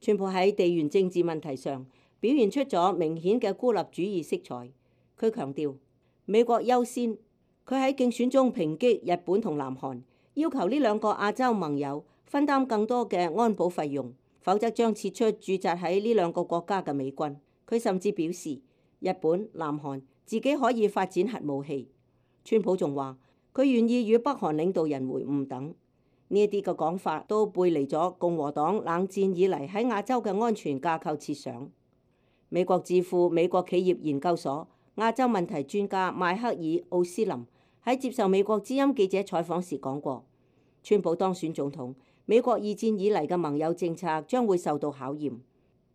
川普喺地緣政治問題上表現出咗明顯嘅孤立主義色彩。佢強調美國優先。佢喺競選中抨擊日本同南韓，要求呢兩個亞洲盟友分擔更多嘅安保費用，否則將撤出駐紮喺呢兩個國家嘅美軍。佢甚至表示日本、南韓自己可以發展核武器。川普仲話佢願意與北韓領導人會晤等。呢一啲嘅講法都背離咗共和黨冷戰以嚟喺亞洲嘅安全架構設想。美國智庫美國企業研究所亞洲問題專家邁克爾奧斯林喺接受美國之音記者採訪時講過，川普當選總統，美國二戰以嚟嘅盟友政策將會受到考驗。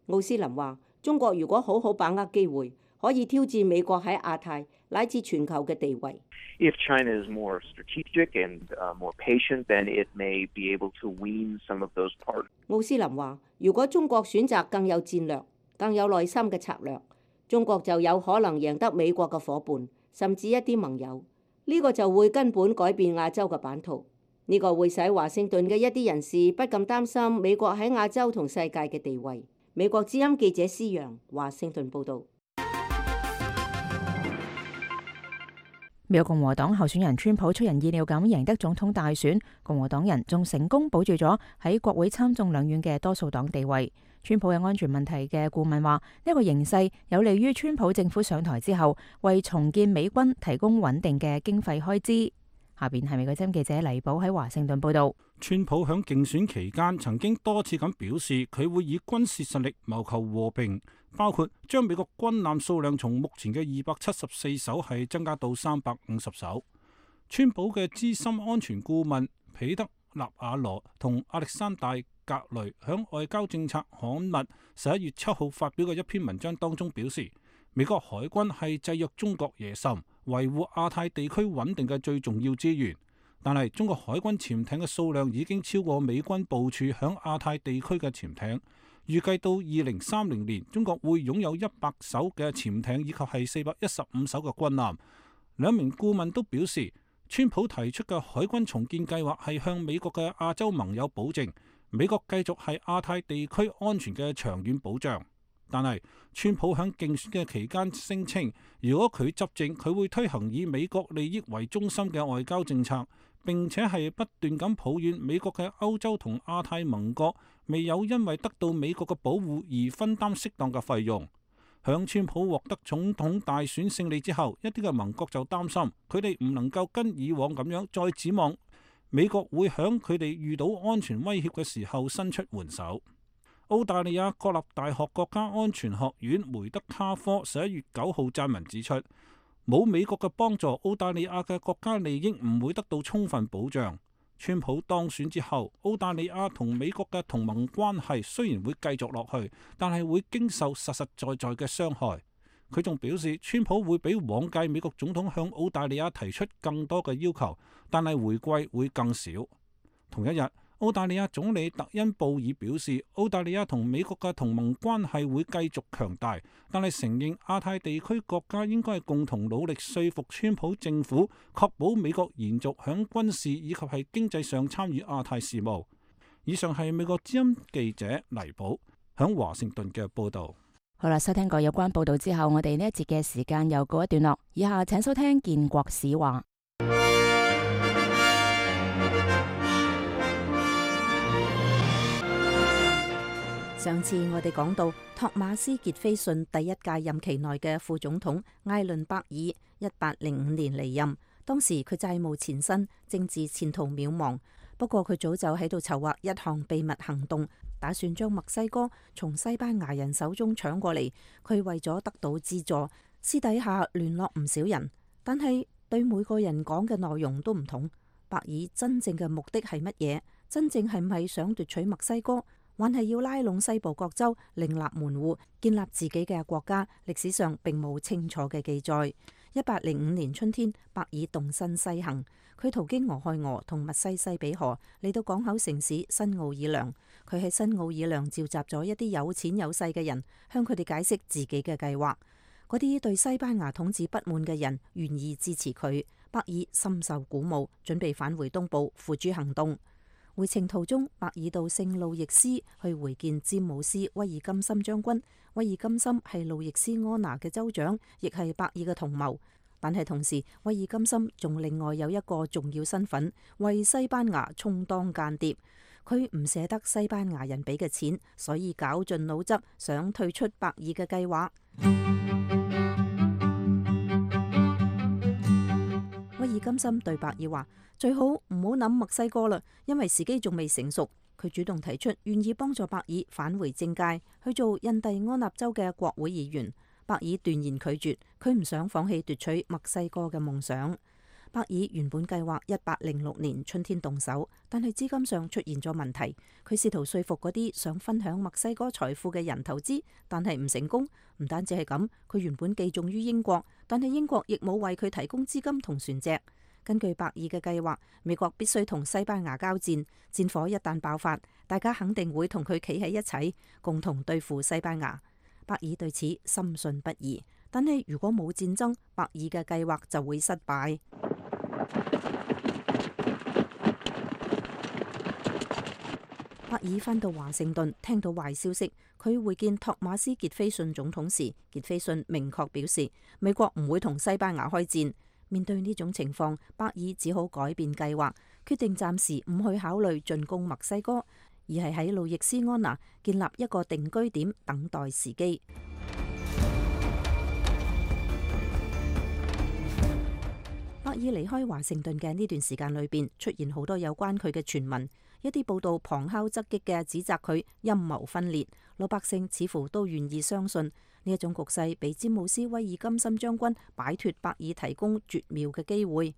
奧斯林話：中國如果好好把握機會，可以挑戰美國喺亞太乃至全球嘅地位。If China is more strategic and more patient, then it may be able to wean some of those parts. 奧斯林話：如果中國選擇更有戰略、更有耐心嘅策略，中國就有可能贏得美國嘅夥伴，甚至一啲盟友。呢個就會根本改變亞洲嘅版圖。呢個會使華盛頓嘅一啲人士不禁擔心美國喺亞洲同世界嘅地位。美國之音記者施洋，華盛頓報導。美國共和黨候選人川普出人意料咁贏得總統大選，共和黨人仲成功保住咗喺國會參眾兩院嘅多數黨地位。川普嘅安全問題嘅顧問話，呢個形勢有利於川普政府上台之後為重建美軍提供穩定嘅經費開支。下邊係美國之音記者黎寶喺華盛頓報道。川普響競選期間曾經多次咁表示，佢會以軍事實力謀求和平，包括將美國軍艦數量從目前嘅二百七十四艘係增加到三百五十艘。川普嘅資深安全顧問彼得納瓦羅同亞歷山大格雷響外交政策刊物十一月七號發表嘅一篇文章當中表示，美國海軍係制約中國野心、維護亞太地區穩定嘅最重要資源。但係中國海軍潛艇嘅數量已經超過美軍部署響亞太地區嘅潛艇。預計到二零三零年，中國會擁有一百艘嘅潛艇以及係四百一十五艘嘅軍艦。兩名顧問都表示，川普提出嘅海軍重建計劃係向美國嘅亞洲盟友保證，美國繼續係亞太地區安全嘅長遠保障。但係川普喺競選嘅期間聲稱，如果佢執政，佢會推行以美國利益為中心嘅外交政策，並且係不斷咁抱怨美國嘅歐洲同亞太盟國未有因為得到美國嘅保護而分擔適當嘅費用。響川普獲得總統大選勝利之後，一啲嘅盟國就擔心佢哋唔能夠跟以往咁樣再指望美國會響佢哋遇到安全威脅嘅時候伸出援手。澳大利亞國立大學國家安全學院梅德卡科十一月九號撰文指出，冇美國嘅幫助，澳大利亞嘅國家利益唔會得到充分保障。川普當選之後，澳大利亞同美國嘅同盟關係雖然會繼續落去，但係會經受實實在在嘅傷害。佢仲表示，川普會比往屆美國總統向澳大利亞提出更多嘅要求，但係回饋會更少。同一日，澳大利亞總理特恩布爾表示，澳大利亞同美國嘅同盟關係會繼續強大，但係承認亞太地區國家應該係共同努力說服川普政府，確保美國延續響軍事以及係經濟上參與亞太事務。以上係美國之音記者黎寶響華盛頓嘅報道。好啦，收聽過有關報道之後，我哋呢一節嘅時間又告一段落。以下請收聽建國史話。上次我哋講到托馬斯傑菲遜第一屆任期內嘅副總統艾倫伯爾，一八零五年離任。當時佢債務纏身，政治前途渺茫。不過佢早就喺度籌劃一項秘密行動，打算將墨西哥從西班牙人手中搶過嚟。佢為咗得到資助，私底下聯絡唔少人，但係對每個人講嘅內容都唔同。伯爾真正嘅目的係乜嘢？真正係唔係想奪取墨西哥，還係要拉攏西部各州，另立門戶，建立自己嘅國家？歷史上並冇清楚嘅記載。一八零五年春天，伯爾動身西行，佢途經俄亥俄同密西西比河，嚟到港口城市新奧爾良。佢喺新奧爾良召集咗一啲有錢有勢嘅人，向佢哋解釋自己嘅計劃。嗰啲對西班牙統治不滿嘅人願意支持佢，伯爾深受鼓舞，準備返回東部付諸行動。回程途中，伯爾到聖路易斯去會見詹姆斯威爾金森將軍。威爾金森係路易斯安那嘅州長，亦係伯爾嘅同謀。但係同時，威爾金森仲另外有一個重要身份，為西班牙充當間諜。佢唔捨得西班牙人俾嘅錢，所以絞盡腦汁想退出伯爾嘅計劃。威爾金森對伯爾話：最好唔好諗墨西哥啦，因為時機仲未成熟。佢主動提出願意幫助伯爾返回政界，去做印第安納州嘅國會議員。伯爾斷然拒絕，佢唔想放棄奪取墨西哥嘅夢想。伯爾原本計劃一八零六年春天動手，但係資金上出現咗問題。佢試圖說服嗰啲想分享墨西哥財富嘅人投資，但係唔成功。唔單止係咁，佢原本寄重於英國，但係英國亦冇為佢提供資金同船隻。根據伯爾嘅計劃，美國必須同西班牙交戰，戰火一旦爆發，大家肯定會同佢企喺一齊，共同對付西班牙。伯爾對此深信不疑，但係如果冇戰爭，伯爾嘅計劃就會失敗。伯爾返到華盛頓，聽到壞消息，佢會見托馬斯傑菲遜總統時，傑菲遜明確表示美國唔會同西班牙開戰。面對呢種情況，伯爾只好改變計劃，決定暫時唔去考慮進攻墨西哥，而係喺路易斯安那建立一個定居點，等待時機。伯爾離開華盛頓嘅呢段時間裏邊，出現好多有關佢嘅傳聞，一啲報道旁敲側擊嘅指責佢陰謀分裂，老百姓似乎都願意相信。呢一種局勢俾詹姆斯威爾金森將軍擺脫伯爾提供絕妙嘅機會。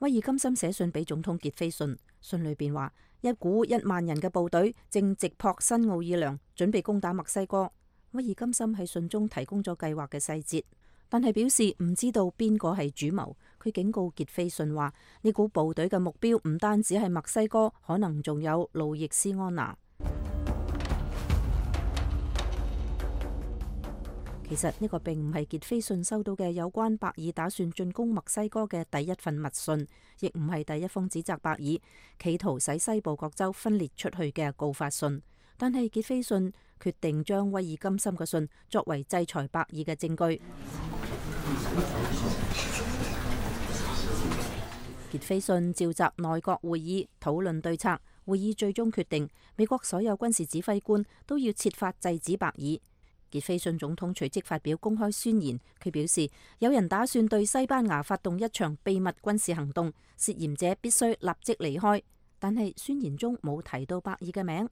威爾金森寫信俾總統傑菲遜，信裏邊話一股一萬人嘅部隊正直撲新奧爾良，準備攻打墨西哥。威爾金森喺信中提供咗計劃嘅細節，但係表示唔知道邊個係主謀。佢警告傑菲遜話呢股部隊嘅目標唔單止係墨西哥，可能仲有路易斯安那。其實呢個並唔係傑菲遜收到嘅有關伯爾打算進攻墨西哥嘅第一份密信，亦唔係第一封指責伯爾企圖使西部各州分裂出去嘅告發信。但係傑菲遜決定將威爾金森嘅信作為制裁伯爾嘅證據。傑菲遜召集內閣會議討論對策，會議最終決定美國所有軍事指揮官都要設法制止伯爾。傑菲遜總統隨即發表公開宣言，佢表示有人打算對西班牙發動一場秘密軍事行動，涉嫌者必須立即離開。但係宣言中冇提到伯爾嘅名。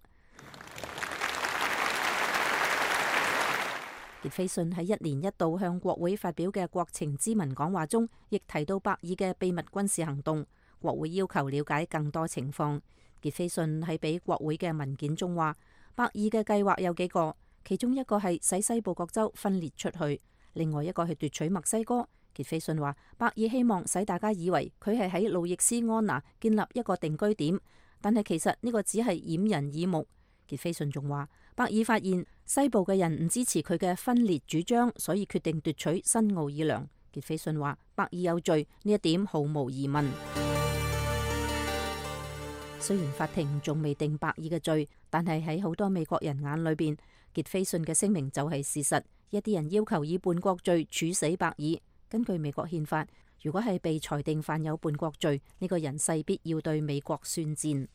傑斐遜喺一年一度向國會發表嘅國情咨文講話中，亦提到伯爾嘅秘密軍事行動。國會要求了解更多情況。傑斐遜喺俾國會嘅文件中話，伯爾嘅計劃有幾個，其中一個係使西部各州分裂出去，另外一個係奪取墨西哥。傑斐遜話，伯爾希望使大家以為佢係喺路易斯安那建立一個定居點，但係其實呢個只係掩人耳目。傑斐遜仲話，伯爾發現西部嘅人唔支持佢嘅分裂主張，所以決定奪取新奧爾良。傑斐遜話，伯爾有罪，呢一點毫無疑問。雖然法庭仲未定伯爾嘅罪，但係喺好多美國人眼裏邊，傑斐遜嘅聲明就係事實。一啲人要求以叛國罪處死伯爾。根據美國憲法，如果係被裁定犯有叛國罪，呢個人勢必要對美國宣戰。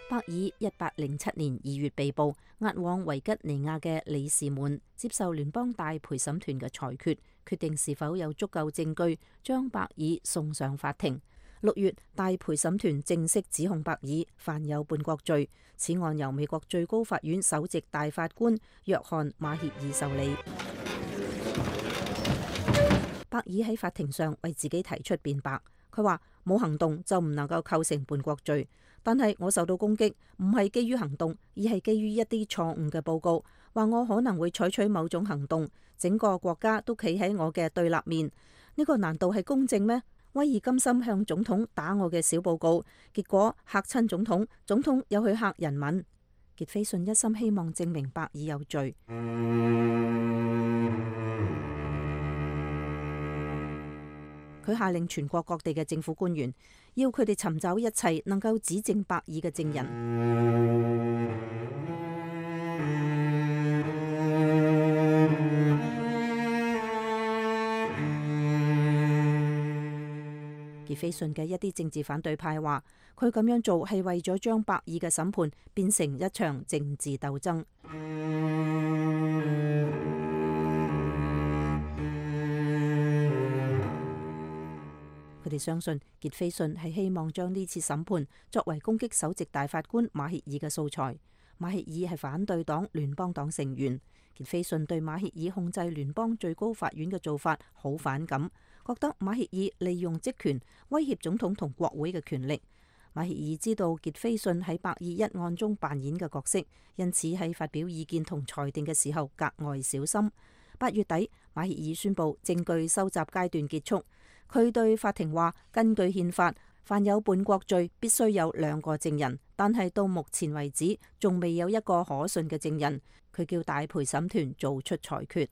伯爾一八零七年二月被捕，押往維吉尼亞嘅里士滿接受聯邦大陪審團嘅裁決，決定是否有足夠證據將伯爾送上法庭。六月，大陪審團正式指控伯爾犯有叛國罪，此案由美國最高法院首席大法官約翰馬歇爾受理。伯爾喺法庭上為自己提出辯白，佢話冇行動就唔能夠構成叛國罪。但係我受到攻擊，唔係基於行動，而係基於一啲錯誤嘅報告，話我可能會採取某種行動，整個國家都企喺我嘅對立面。呢個難道係公正咩？威爾甘心向總統打我嘅小報告，結果嚇親總統，總統又去嚇人民。傑斐遜一心希望證明伯爾有罪。佢下令全國各地嘅政府官員，要佢哋尋找一切能夠指證伯爾嘅證人。傑斐遜嘅一啲政治反對派話，佢咁樣做係為咗將伯爾嘅審判變成一場政治鬥爭。佢哋相信傑斐遜係希望將呢次審判作為攻擊首席大法官馬歇爾嘅素材。馬歇爾係反對黨聯邦黨成員，傑斐遜對馬歇爾控制聯邦最高法院嘅做法好反感，覺得馬歇爾利用職權威脅總統同國會嘅權力。馬歇爾知道傑斐遜喺伯爾一案中扮演嘅角色，因此喺發表意見同裁定嘅時候格外小心。八月底，馬歇爾宣布證據收集階段結束。佢對法庭話，根據憲法，犯有叛國罪必須有兩個證人，但係到目前為止仲未有一個可信嘅證人。佢叫大陪審團做出裁決。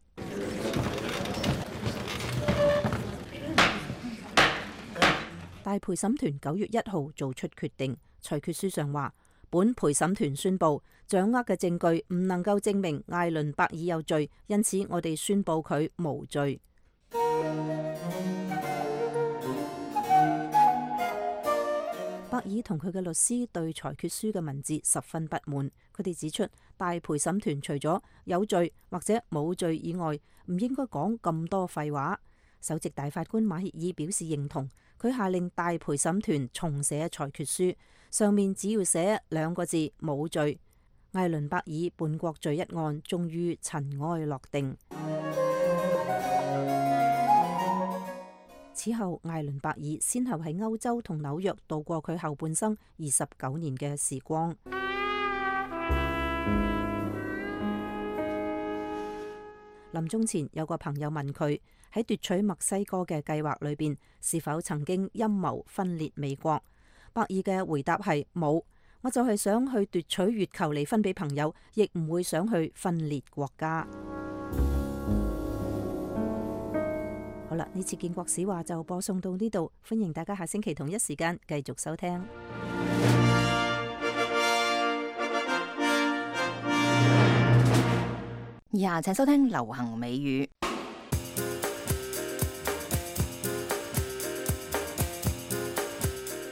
大陪審團九月一號做出決定，裁決書上話，本陪審團宣布掌握嘅證據唔能夠證明艾倫伯爾有罪，因此我哋宣布佢無罪。伯爾同佢嘅律師對裁決書嘅文字十分不滿，佢哋指出大陪審團除咗有罪或者冇罪以外，唔應該講咁多廢話。首席大法官馬歇爾表示認同，佢下令大陪審團重寫裁決書，上面只要寫兩個字冇罪。艾倫伯爾叛國罪一案終於塵埃落定。此後，艾倫伯爾先後喺歐洲同紐約度過佢後半生二十九年嘅時光。臨終前，有個朋友問佢喺奪取墨西哥嘅計劃裏邊，是否曾經陰謀分裂美國？伯爾嘅回答係冇，我就係想去奪取月球嚟分俾朋友，亦唔會想去分裂國家。好啦，呢次建國史話就播送到呢度，歡迎大家下星期同一時間繼續收聽。以下請收聽流行美語。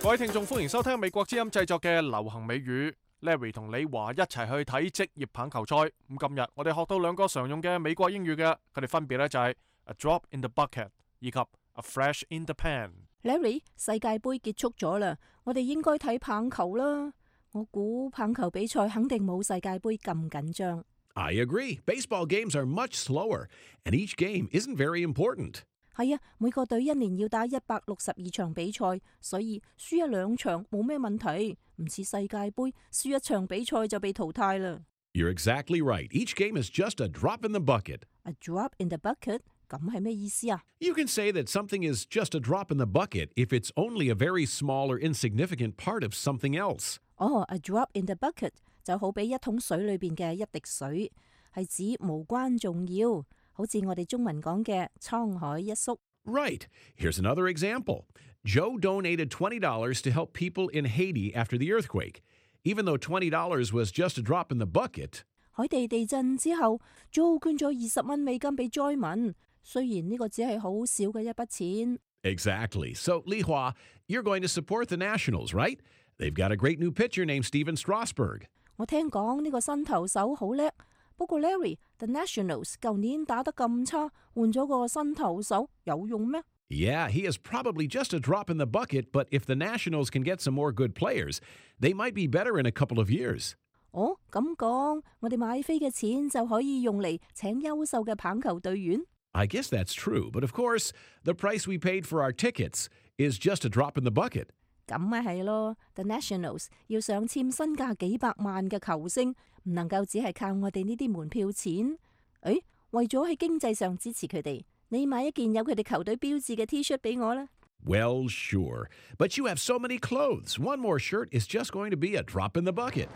各位聽眾，歡迎收聽美國之音製作嘅流行美語。Larry 同李華一齊去睇職業棒球賽。咁今日我哋學到兩個常用嘅美國英語嘅，佢哋分別咧就係A drop in the bucket 以及 A flash in the pan。Larry， 世界盃結束咗啦，我哋應該睇棒球啦。我估棒球比賽肯定冇世界盃咁緊張。I agree. Baseball games are much slower, and each game isn't very important. 係啊，每個隊一年要打一百六十二場比賽，所以輸一兩場冇咩問題，唔似世界盃輸一場比賽就被淘汰啦。You're exactly right. Each game is just a drop in the bucket. A drop in the bucket？ 咁係咩意思啊？ You can say that something is just a drop in the bucket if it's only a very small or insignificant part of something else. 哦、oh, a drop in the bucket 就好比一桶水裏邊嘅一滴水，係指無關重要，好似我哋中文講嘅滄海一粟。Right. Here's another example. Joe donated twenty dollars to help people in Haiti after the earthquake. Even though twenty dollars was just a drop in the bucket. 海地地震之後 ，Joe 捐咗二十蚊美金俾災民，雖然呢個只係好少嘅一筆錢。Exactly. So, Li Hua, you're going to support the Nationals, right? They've got a great new pitcher named Steven Strasburg. 我聽講呢個新投手好叻，不過 Larry，The Nationals 舊年打得咁差，換咗個新投手有用咩？ Yeah, he is probably just a drop in the bucket, but if the Nationals can get some more good players, they might be better in a couple of years. 哦，咁講，我哋買飛嘅錢就可以用嚟請優秀嘅棒球隊員。I guess that's true, but of course, the price we paid for our tickets is just a drop in the bucket. 咁咪係咯 ，The Nationals 要想簽身價幾百萬嘅球星，唔能夠只係靠我哋呢啲門票錢。誒，為咗喺經濟上支持佢哋，你買一件有佢哋球隊標誌嘅 T-shirt 俾我啦。Well, sure, but you have so many clothes. One more shirt is just going to be a drop in the bucket.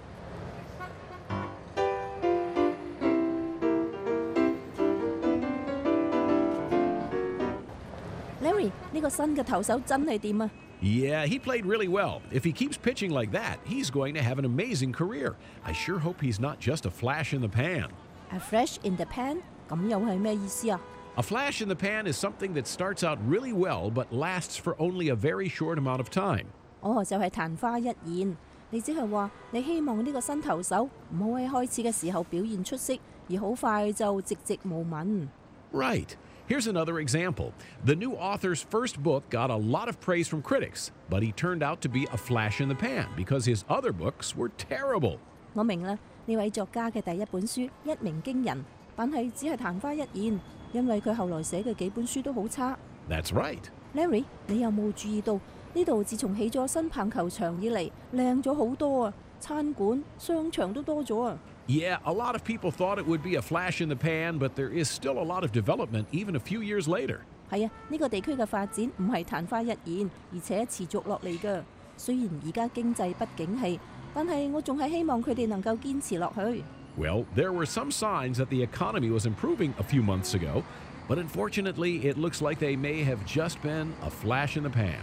Larry， 呢個新嘅投手真係掂啊！ Yeah, he played really well. If he keeps pitching like that, he's going to have an amazing career. I sure hope he's not just a flash in the pan. A flash in the pan？ 咁又係咩意思啊？ A flash in the pan is something that starts out really well but lasts for only a very short amount of time. 哦，就係曇花一現。你只係話你希望呢個新投手唔好喺開始嘅時候表現出色，而好快就寂寂無聞。 Right. Here's another example. The new author's first book got a lot of praise from critics, but he turned out to be a flash in the pan because his other books were terrible. 我明啦，呢位作家嘅第一本書一鳴驚人，但係只係曇花一現，因為佢後來寫嘅幾本書都好差。That's right. Larry， 你有冇注意到呢度自從起咗新棒球場以嚟，靚咗好多啊！餐館、商場都多咗啊！ Yeah, a lot of people thought it would be a flash in the pan, but there is still a lot of development even a few years later. 係啊，呢個地區嘅發展唔係曇花一現，而且持續落嚟㗎。雖然而家經濟不景氣，但係我仲係希望佢哋能夠堅持落去。Well, there were some signs that the economy was improving a few months ago, but unfortunately, it looks like they may have just been a flash in the pan.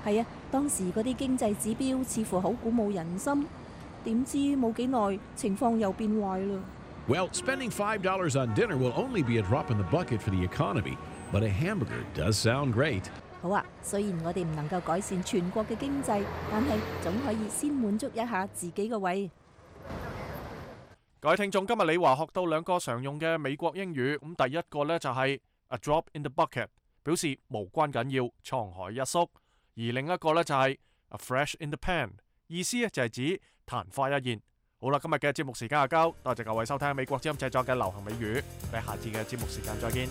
係啊，當時嗰啲經濟指標似乎好鼓舞人心。 點知冇幾耐，情況又變壞啦。Well, spending five dollars on dinner will only be a drop in the bucket for the economy, but a hamburger does sound great. 好啊，雖然我哋唔能夠改善全國嘅經濟，但係總可以先滿足一下自己嘅胃。各位聽眾，今日李華學到兩個常用嘅美國英語，咁第一個呢就係 a drop in the bucket， 表示無關緊要，滄海一粟；而另一個呢就係 a flash in the pan， 意思呢就係指曇花一現。好啦，今日嘅節目時間就夠，多謝各位收聽美國之音製作嘅流行美語，我哋下次嘅節目時間再見。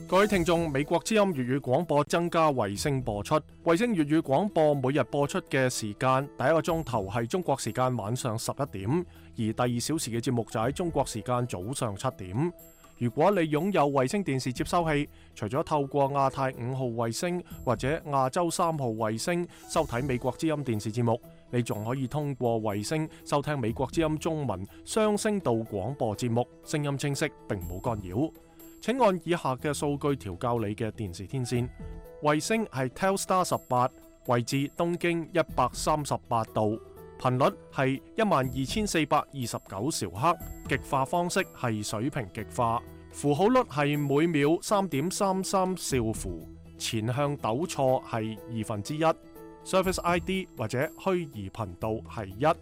各位聽眾，美國之音粵語廣播增加衛星播出，衛星粵語廣播每日播出嘅時間，第一個鐘頭係中國時間晚上十一點，而第二小時嘅節目就喺中國時間早上七點。如果你擁有衛星電視接收器，除咗透過亞太五號衛星或者亞洲三號衛星收睇美國之音電視節目，你仲可以通過衛星收聽美國之音中文雙聲道廣播節目，聲音清晰並冇干擾。請按以下嘅數據調校你嘅電視天線。衛星係 Telstar 十八，位置東經一百三十八度，頻率係一萬二千四百二十九兆赫，極化方式係水平極化，符號率係每秒三點三三兆符，前向抖錯係二分之一，Service I D 或者虛擬頻道係一，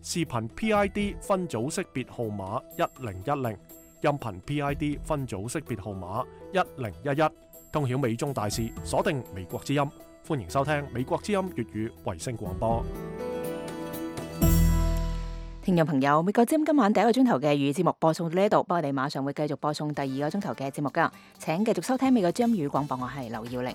視頻 P I D 分組識別號碼一零一零，音頻 P I D 分組識別號碼一零一一。通曉美中大事，鎖定美國之音。歡迎收聽美國之音粵語衛星廣播。聽眾朋友，美國之音今晚第一個鐘頭嘅粵語節目播送到呢度，不過我哋馬上會繼續播送第二個鐘頭嘅節目噶，請繼續收聽美國之音粵語廣播，我係劉耀玲。